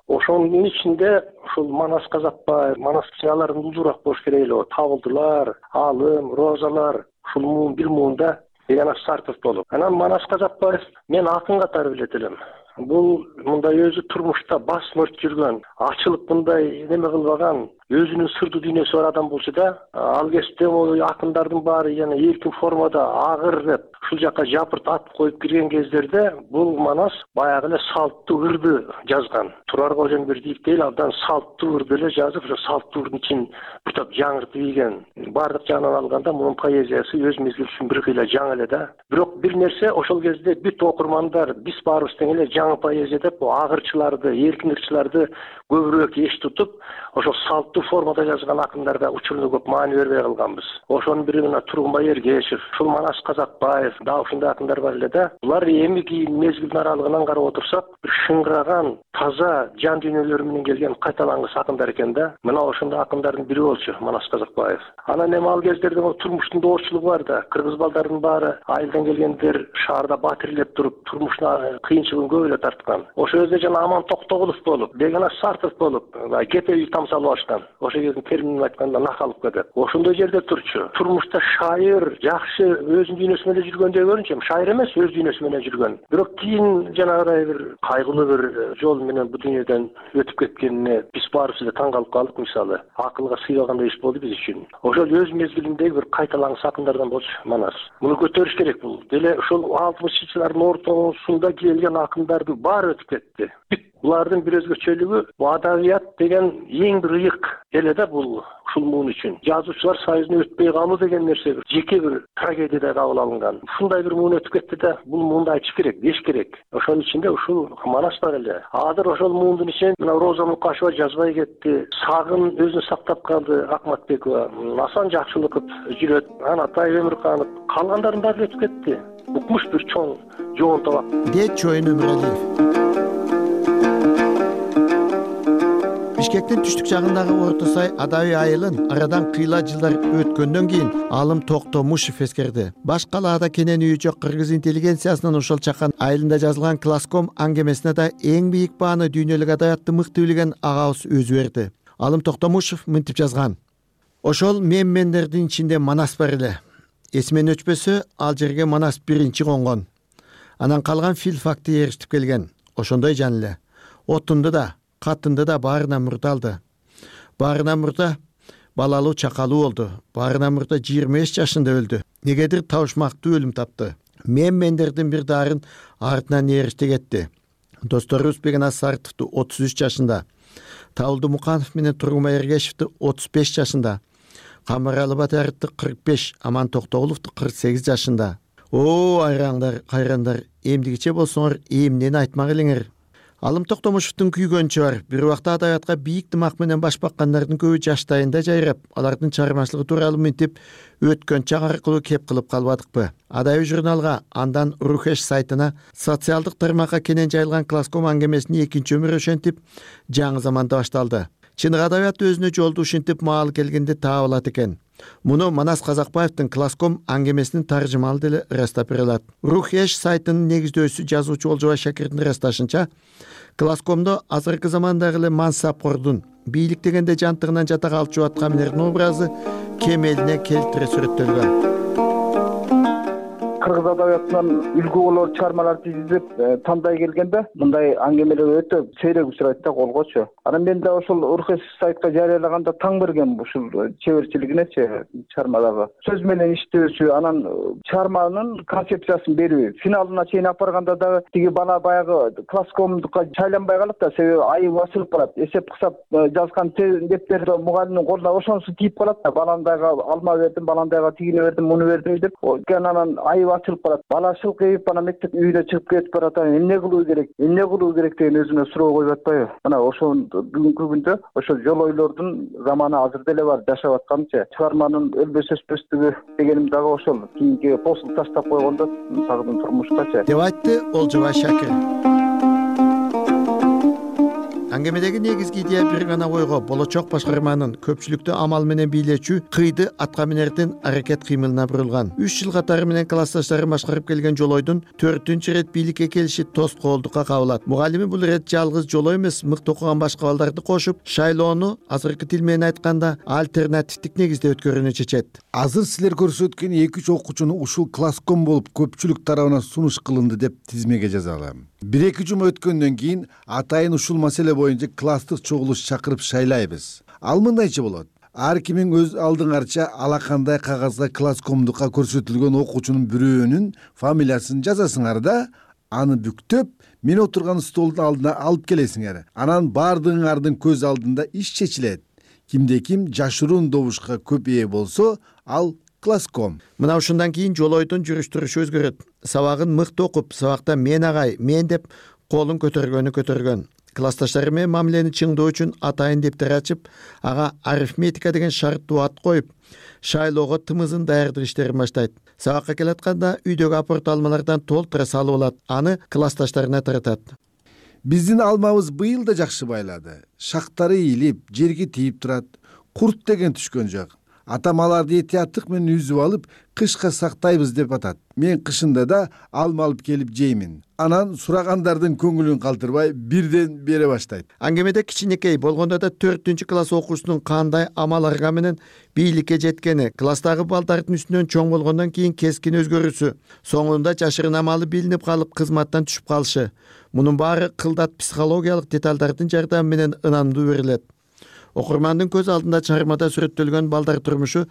Ошонун ичинде ушул Манас Казакбаев, Манас алардын улуурак болуш керек эле. Табылдылар, Алым, Розалар, ушул муун бир муунда Егенаш Сартов болуп. Анан Манас Казакбаев мен акын катары билет элем. Бул мындай өзү турмушта бас мөрт жүргөн, ачылып мындай неме кылбаган, өзүнүн сырдуу дүйнөсү бар адам болчу да, ал кезде акындардын баары жана эркин формада агыр деп ушул жака жапырт ат коюп кирген кездерде бул Манас баягы эле салттуу ырды жазган. Турар Кожомбердиев дейли абдан салттуу ырды эле жазып, ошо салттуу ырдын ичин бир топ жаңыртып ийген. Бардык жагынан алганда мунун поэзиясы өз мезгилинде бир кыйла жаңы эле да. Бирок бир нерсе ошол кезде бүт окурмандар биз баарыбыз тең эле жаңы поэзия деп агырчыларды, эркин ырчыларды көбүрөөк эч тутуп, ошол салттуу формада жазган акындарга учурунда көп маани бербей калганбыз. Ошонун бири мына Тургунбай Эргешев, ушул Манас Казакбаев, дагы ушундай акындар бар эле да. Булар эми кийин мезгилдин аралыгынан карап отурсак, бир шыңгыраган, таза жан дүйнөлөрү менен келген кайталангыс акындар экен да. Мына ошондой акындардын бири болчу Манас Казакбаев. Анан эми ал кездерде турмуштун доочулугу бар да. Кыргыз балдардын баары айылдан келгендер шаарда батирлеп туруп, турмушуна кыйынчылыгын көп эле тарткан. Ошол кезде жана Аман Токтогулов болуп, Бегенаш Сартов болуп, кепе үй тамсалып ашкан. Ошол кездин терминин айтканда накалып кетет. Ошондой жерде турчу. Турмушта шайыр, жакшы өзүнүн дүйнөсү менен жүргөндөй көрүнчү. Шайыр эмес, өз дүйнөсү менен жүргөн. Бирок кийин жанагыдай бир кайгылуу бир жол менен бу дүйнөдөн өтүп кеткенине биз баарыбыз эле таң калып калдык. Мисалы, акылга сыйбагандай иш болду биз үчүн. Ошол өз мезгилиндеги бир кайталаңыс акындардан болчу Манас. Муну көтөрүш керек бул. Деле ошол 60-жылдардын ортосунда келген акындардын баары өтүп кетти. Булардын бир өзгөчөлүгү бул адабият деген эң бир ыйык эле да бул ушул муун үчүн. Жазуучулар союзуна өтпөй калуу деген нерсе бир жеке бир трагедиядай кабыл алынган. Ушундай бир муун өтүп кетти да, бул муунду айтыш керек, деш керек. Ошонун ичинде ушул Манас бар эле. Азыр ошол муундун ичинен мына Роза Мукашева жазбай кетти. Сагын өзүн сактап калды, Акматбекова, Асан Жакшылыков жүрөт, Анатай Өмүрканов, калгандардын баары өтүп кетти. Укмуш бир чоң жоон табак. Дейт Чоюн Өмүралиев. Бишкектин түштүк жагындагы Орто Сай Адай айылын арадан кыйла жылдар өткөндөн кийин Алым Токтомушев эскерди. Баш калаада кенен үйү жок кыргыз интеллигенциясынын ошол чакан айылында жазылган класском аңгемесине да эң бийик бааны дүйнөлүк адабиятты мыкты билген агабыз өзү берди. Алым Токтомушев мынтип жазган: ошол мендердин ичинде Манас бар эле. Эсимен өчпөсө, ал жерге Манас биринчи конгон. Анан калган филфакты эрişип келген. Ошондой жан эле. Отунду да, катынды да баарынан мурда алды. Баарынан мурда балалуу чакалуу болду. Баарынан мурда 25 жашында өлдү. Негедир табышмактуу өлүм тапты. Мендердин бир дарын артынан эришти кетти. Досторубуз Бегенаш Сартовду 33 жашында, Табылды Муканов менен Тургунбай Эргешевди 35 жашында, Камыралы Батаровду 45, Аман Токтогуловду 48 жашында. О, айраңдар, кайрандар, эмдигиче болсоңор, эмнени айтмак элеңер. Алым Токтомушевдун күйгөнчү бар. Бир убакта адабиятка бийик дымак менен баш баккандардын көбү жаштайында жайрап, алардын чыгармачылыгы тууралуу мынтип өткөн чак аркылуу кеп кылып калбадыкпы? Адай журналга, андан Рухеш сайтына социалдык тармакка кенен жайылган класском аңгемесинин экинчи өмүрү ошентип жаңы заманда башталды. Чыныгы адабият өзүнө жолду ушинтип маал келгенде таап экен. Муну Манас Казакбаевдин класском аңгемесинин таржымалы деле ырастап бере алат. Рухеш сайтынын негиздөөчүсү жазуучу Олжобай Шакирдин ырасташынча, класскомдо азыркы замандагы эле мансапкордун бийлик дегенде жантыгынан жата калчу аткаминердин образы кемелине келтире сүрөттөлгөн. кыргыз адабиятынан үлгү болор чыгармаларды изилдеп тандай келгенде мындай аңгемелер өтө сейрек учурайт да колгочу. Анан мен да ошол УРХС сайтка жарыялаганда таң бергем ушул чеберчилигинечи чыгармадагы сөз менен иштөөсү, анан чыгарманын концепциясын берүү. Финалына чейин алып барганда дагы тиги бала баягы класскомдукка шайланбай калат да, себеби айып ачылып калат. Эсеп кысап жазган дептерди мугалимдин колуна ошонусу тиип калат да, баландайга алма бердим, баландайга тигини бердим, муну бердим деп. Анан айып ачылып калат. Бала шылкыйып анан мектеп үйүнө чыгып кетип барат. Эмне кылуу керек деген өзүнө суроо коюп атпайбы? Мына ошол бүгүнкү күндө ошол жол ойлордун заманы азыр деле бар, жашап атканчы. Чыгарманын өлбөс өспөстүгү дегеним дагы ошол. Кийинки постул таштап койгондо сагдын турмушкачы деп айтты Олжобай Шакир. Аңгемедеги негизги идея бир гана койго болочок башкарманын көпчүлүктү амал менен бийлечү кыйды атка минердин аракет кыймылына бурулган. 3 жыл катары менен классташтары башкарып келген жолойдун 4-үнчү ирет бийликке келиши тоскоолдукка кабылат. Мугалими бул ирет жалгыз жолой эмес, мыкты окуган башка балдарды кошуп, шайлоону азыркы тил менен айтканда альтернативдик негизде өткөрүүнү чечет. Азыр силер көрсөткөн 2-3 окуучуну ушул класском болуп көпчүлүк тарабынан сунуш кылынды деп тизмеге жазалы. 1-2 жума өткөндөн кийин атайын ушул маселе боюнча класстык чогулуш чакырып шайлайбыз. Ал мындайча болот. Ар кимиң өз алдыңарча алакандай кагазга класскомдукка көрсөтүлгөн окуучунун бирөөнүн фамилиясын жазасыңар да, аны бүктөп, мен отурган столдун алдына алып келесиңер. Анан баардыгыңардын көз алдында иш чечилет. Кимде ким жашыруун добушка көп ээ болсо, ал класском. Мына ушундан кийин жолойдун жүрүш-турушу өзгөрөт. Сабагын мыкты окуп, сабакта мен агай, мен деп колун көтөргөн. Классташтары менен мамилени чыңдоо үчүн атайын дептер ачып, ага арифметика деген шарттуу ат коюп, шайлоого тымызын даярдык иштерин баштайт. Сабакка келатканда үйдөгү апорт алмалардан толтура салып алат, аны классташтарына таратат. Биздин алмабыз быйыл да жакшы байлады. Шактары ийилип, жерге тийип турат. Курт деген түшкөн жок. Атам аларды этияттык менен үзүп алып, кышка сактайбыз деп атат. Мен кышында да алма алып келип жеймин. Анан сурагандардын көңүлүн калтырбай бирден бере баштайт. Аңгемеде кичинекей болгондо да 4-үнчү класс окуучусунун кандай амаларга менен бийликке жеткени, класстагы балдардын үстүнөн чоң болгондон кийин кескин өзгөрүүсү, соңунда жашырын амалы билинип калып кызматтан түшүп калышы. Мунун баары кылдат психологиялык деталдардын жардамы менен ынандуу берилет. Окурмандын көз алдында чыгармада сүрөттөлгөн балдар турмушу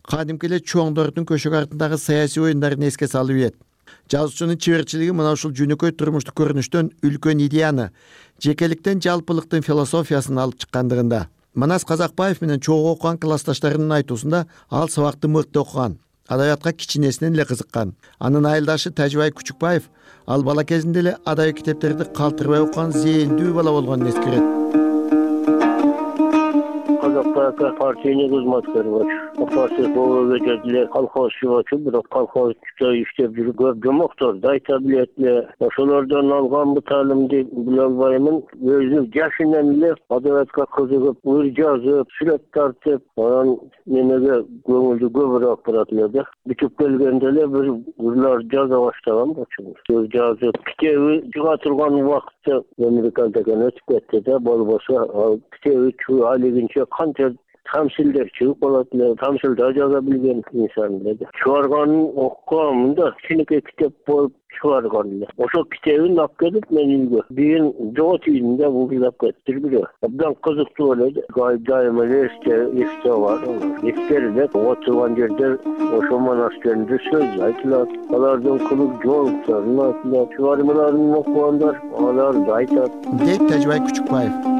кадимки эле чоңдордун көшөгө артындагы саясий оюндарын эске салып ийет. Жазуучунун чеберчилиги мына ушул жөнөкөй турмуштук көрүнүштөн үлкөн идеяны, жекеликтен жалпылыктын философиясын алып чыккандыгында. Манас Казакбаев менен чогуу окуган классташтарынын айтуусунда ал сабакты мыкты окуган, адабиятка кичинесинен эле кызыккан. Анын айылдашы Тажыбай Күчүкбаев ал бала кезинде эле адабий китептерди калтырбай окуган зээндүү бала болгонун эскерет. Партийный кызматкер болчу. Партия болуп кетти, колхозчу болчу, бирок колхозчу иштеп жүрүп көп жомокторду айта билет эле. Ошолордон алган бу таалимди биле албаймын. Өзүнүн жашынан эле адабиятка кызыгып, ыр жазып, сүрөт тартып, анан немеге көңүлдү көбүрөөк бурат эле да. Бүтүп келгенде эле бир ырлар жаза баштаган болчу. Сөз жазып, китеби чыга турган убакытта американдан өтүп кетти да, болбосо ал китеби алигинче канча тамсилдер чыгып калат эле, тамсилда жаза билген инсан эле. Чыгарганын окугам да кичинекей китеп болуп чыгарган эле. Ошол китебин алып келип мен үйгө бийин жогот үйүндө бугулап кетти бирөө. Абдан кызыктуу эле. Дайыма эсте бар. Эскерилет, отурган жерде ошол монастырында сөз айтылат. Алардын кылык жоолуктарын айтылат. Чыгармаларын окугандар аларды айтат. Дейт Тажыбай Күчүкбаев.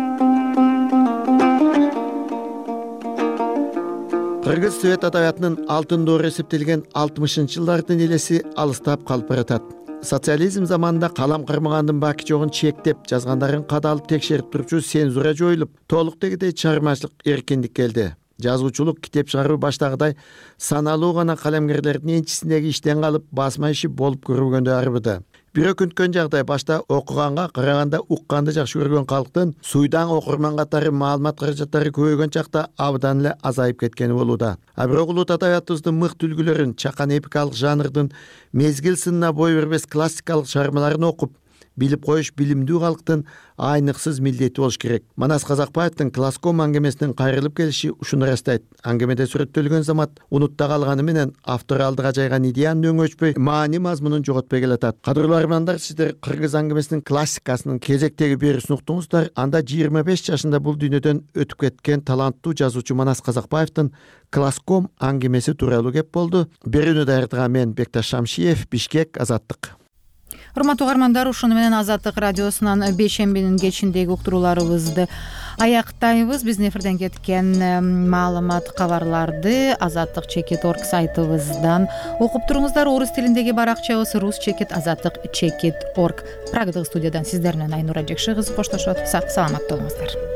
Кыргыз Совет адабиятынын алтын доору эсептелген 60-жылдардын элеси алыстап калып баратат. Социализм заманында калам кармагандын баки жогун чектеп, жазгандарын кадалып текшерип турчу цензура жоюлуп, толук дегидей чыгармачылык эркиндик келди. Жазуучулук китеп чыгаруу баштагыдай саналуу гана калемгерлердин энчисиндеги иштен калып, басма иши болуп көрүнгөндө арбыды. Бирөкүнткөн жагдай башта окуганга караганда укканды жакшы көргөн калктын суйдан окурман катары маалымат каражаттары көбөйгөн чакта абдан эле азайып кеткени болууда. А бирок улут адабиятыбыздын мыкты үлгүлөрүн, чакан эпикалык жанрдын мезгил сынына бой бербес классикалык чыгармаларын окуп, билип коюш билимдүү калктын айныксыз милдети болуш керек. Манас Казакбаевдин Класском аңгемесинин кайрылып келиши ушуну ырастайт. Аңгемеде сүрөттөлгөн замат унутта калганы менен автор алдыга жайган идеянын өңөчпөй, маани мазмунун жоготпой келатат. Кадырлуу армандар, сиздер кыргыз аңгемесинин классикасынын кезектеги берүүсүн уктуңуздар. Анда 25 жашында бул дүйнөдөн өтүп кеткен таланттуу жазуучу Манас Казакбаевдин Класском аңгемеси тууралуу кеп болду. Берүүнү даярдаган мен Бекташ Шамшиев, Бишкек, Азаттык. Урматтуу угармандар, ушуну менен Азаттык радиосунан бейшембинин кечиндеги уктурууларыбызды аяктайбыз. Биздин эфирден кеткен маалымат, кабарларды azattik.org сайтыбыздан окуп туруңуздар. Орус тилиндеги баракчабыз rus.azattik.org. Прагадагы студиядан сиздер менен Айнура Жекши кызы коштошот. Сак саламат болуңуздар.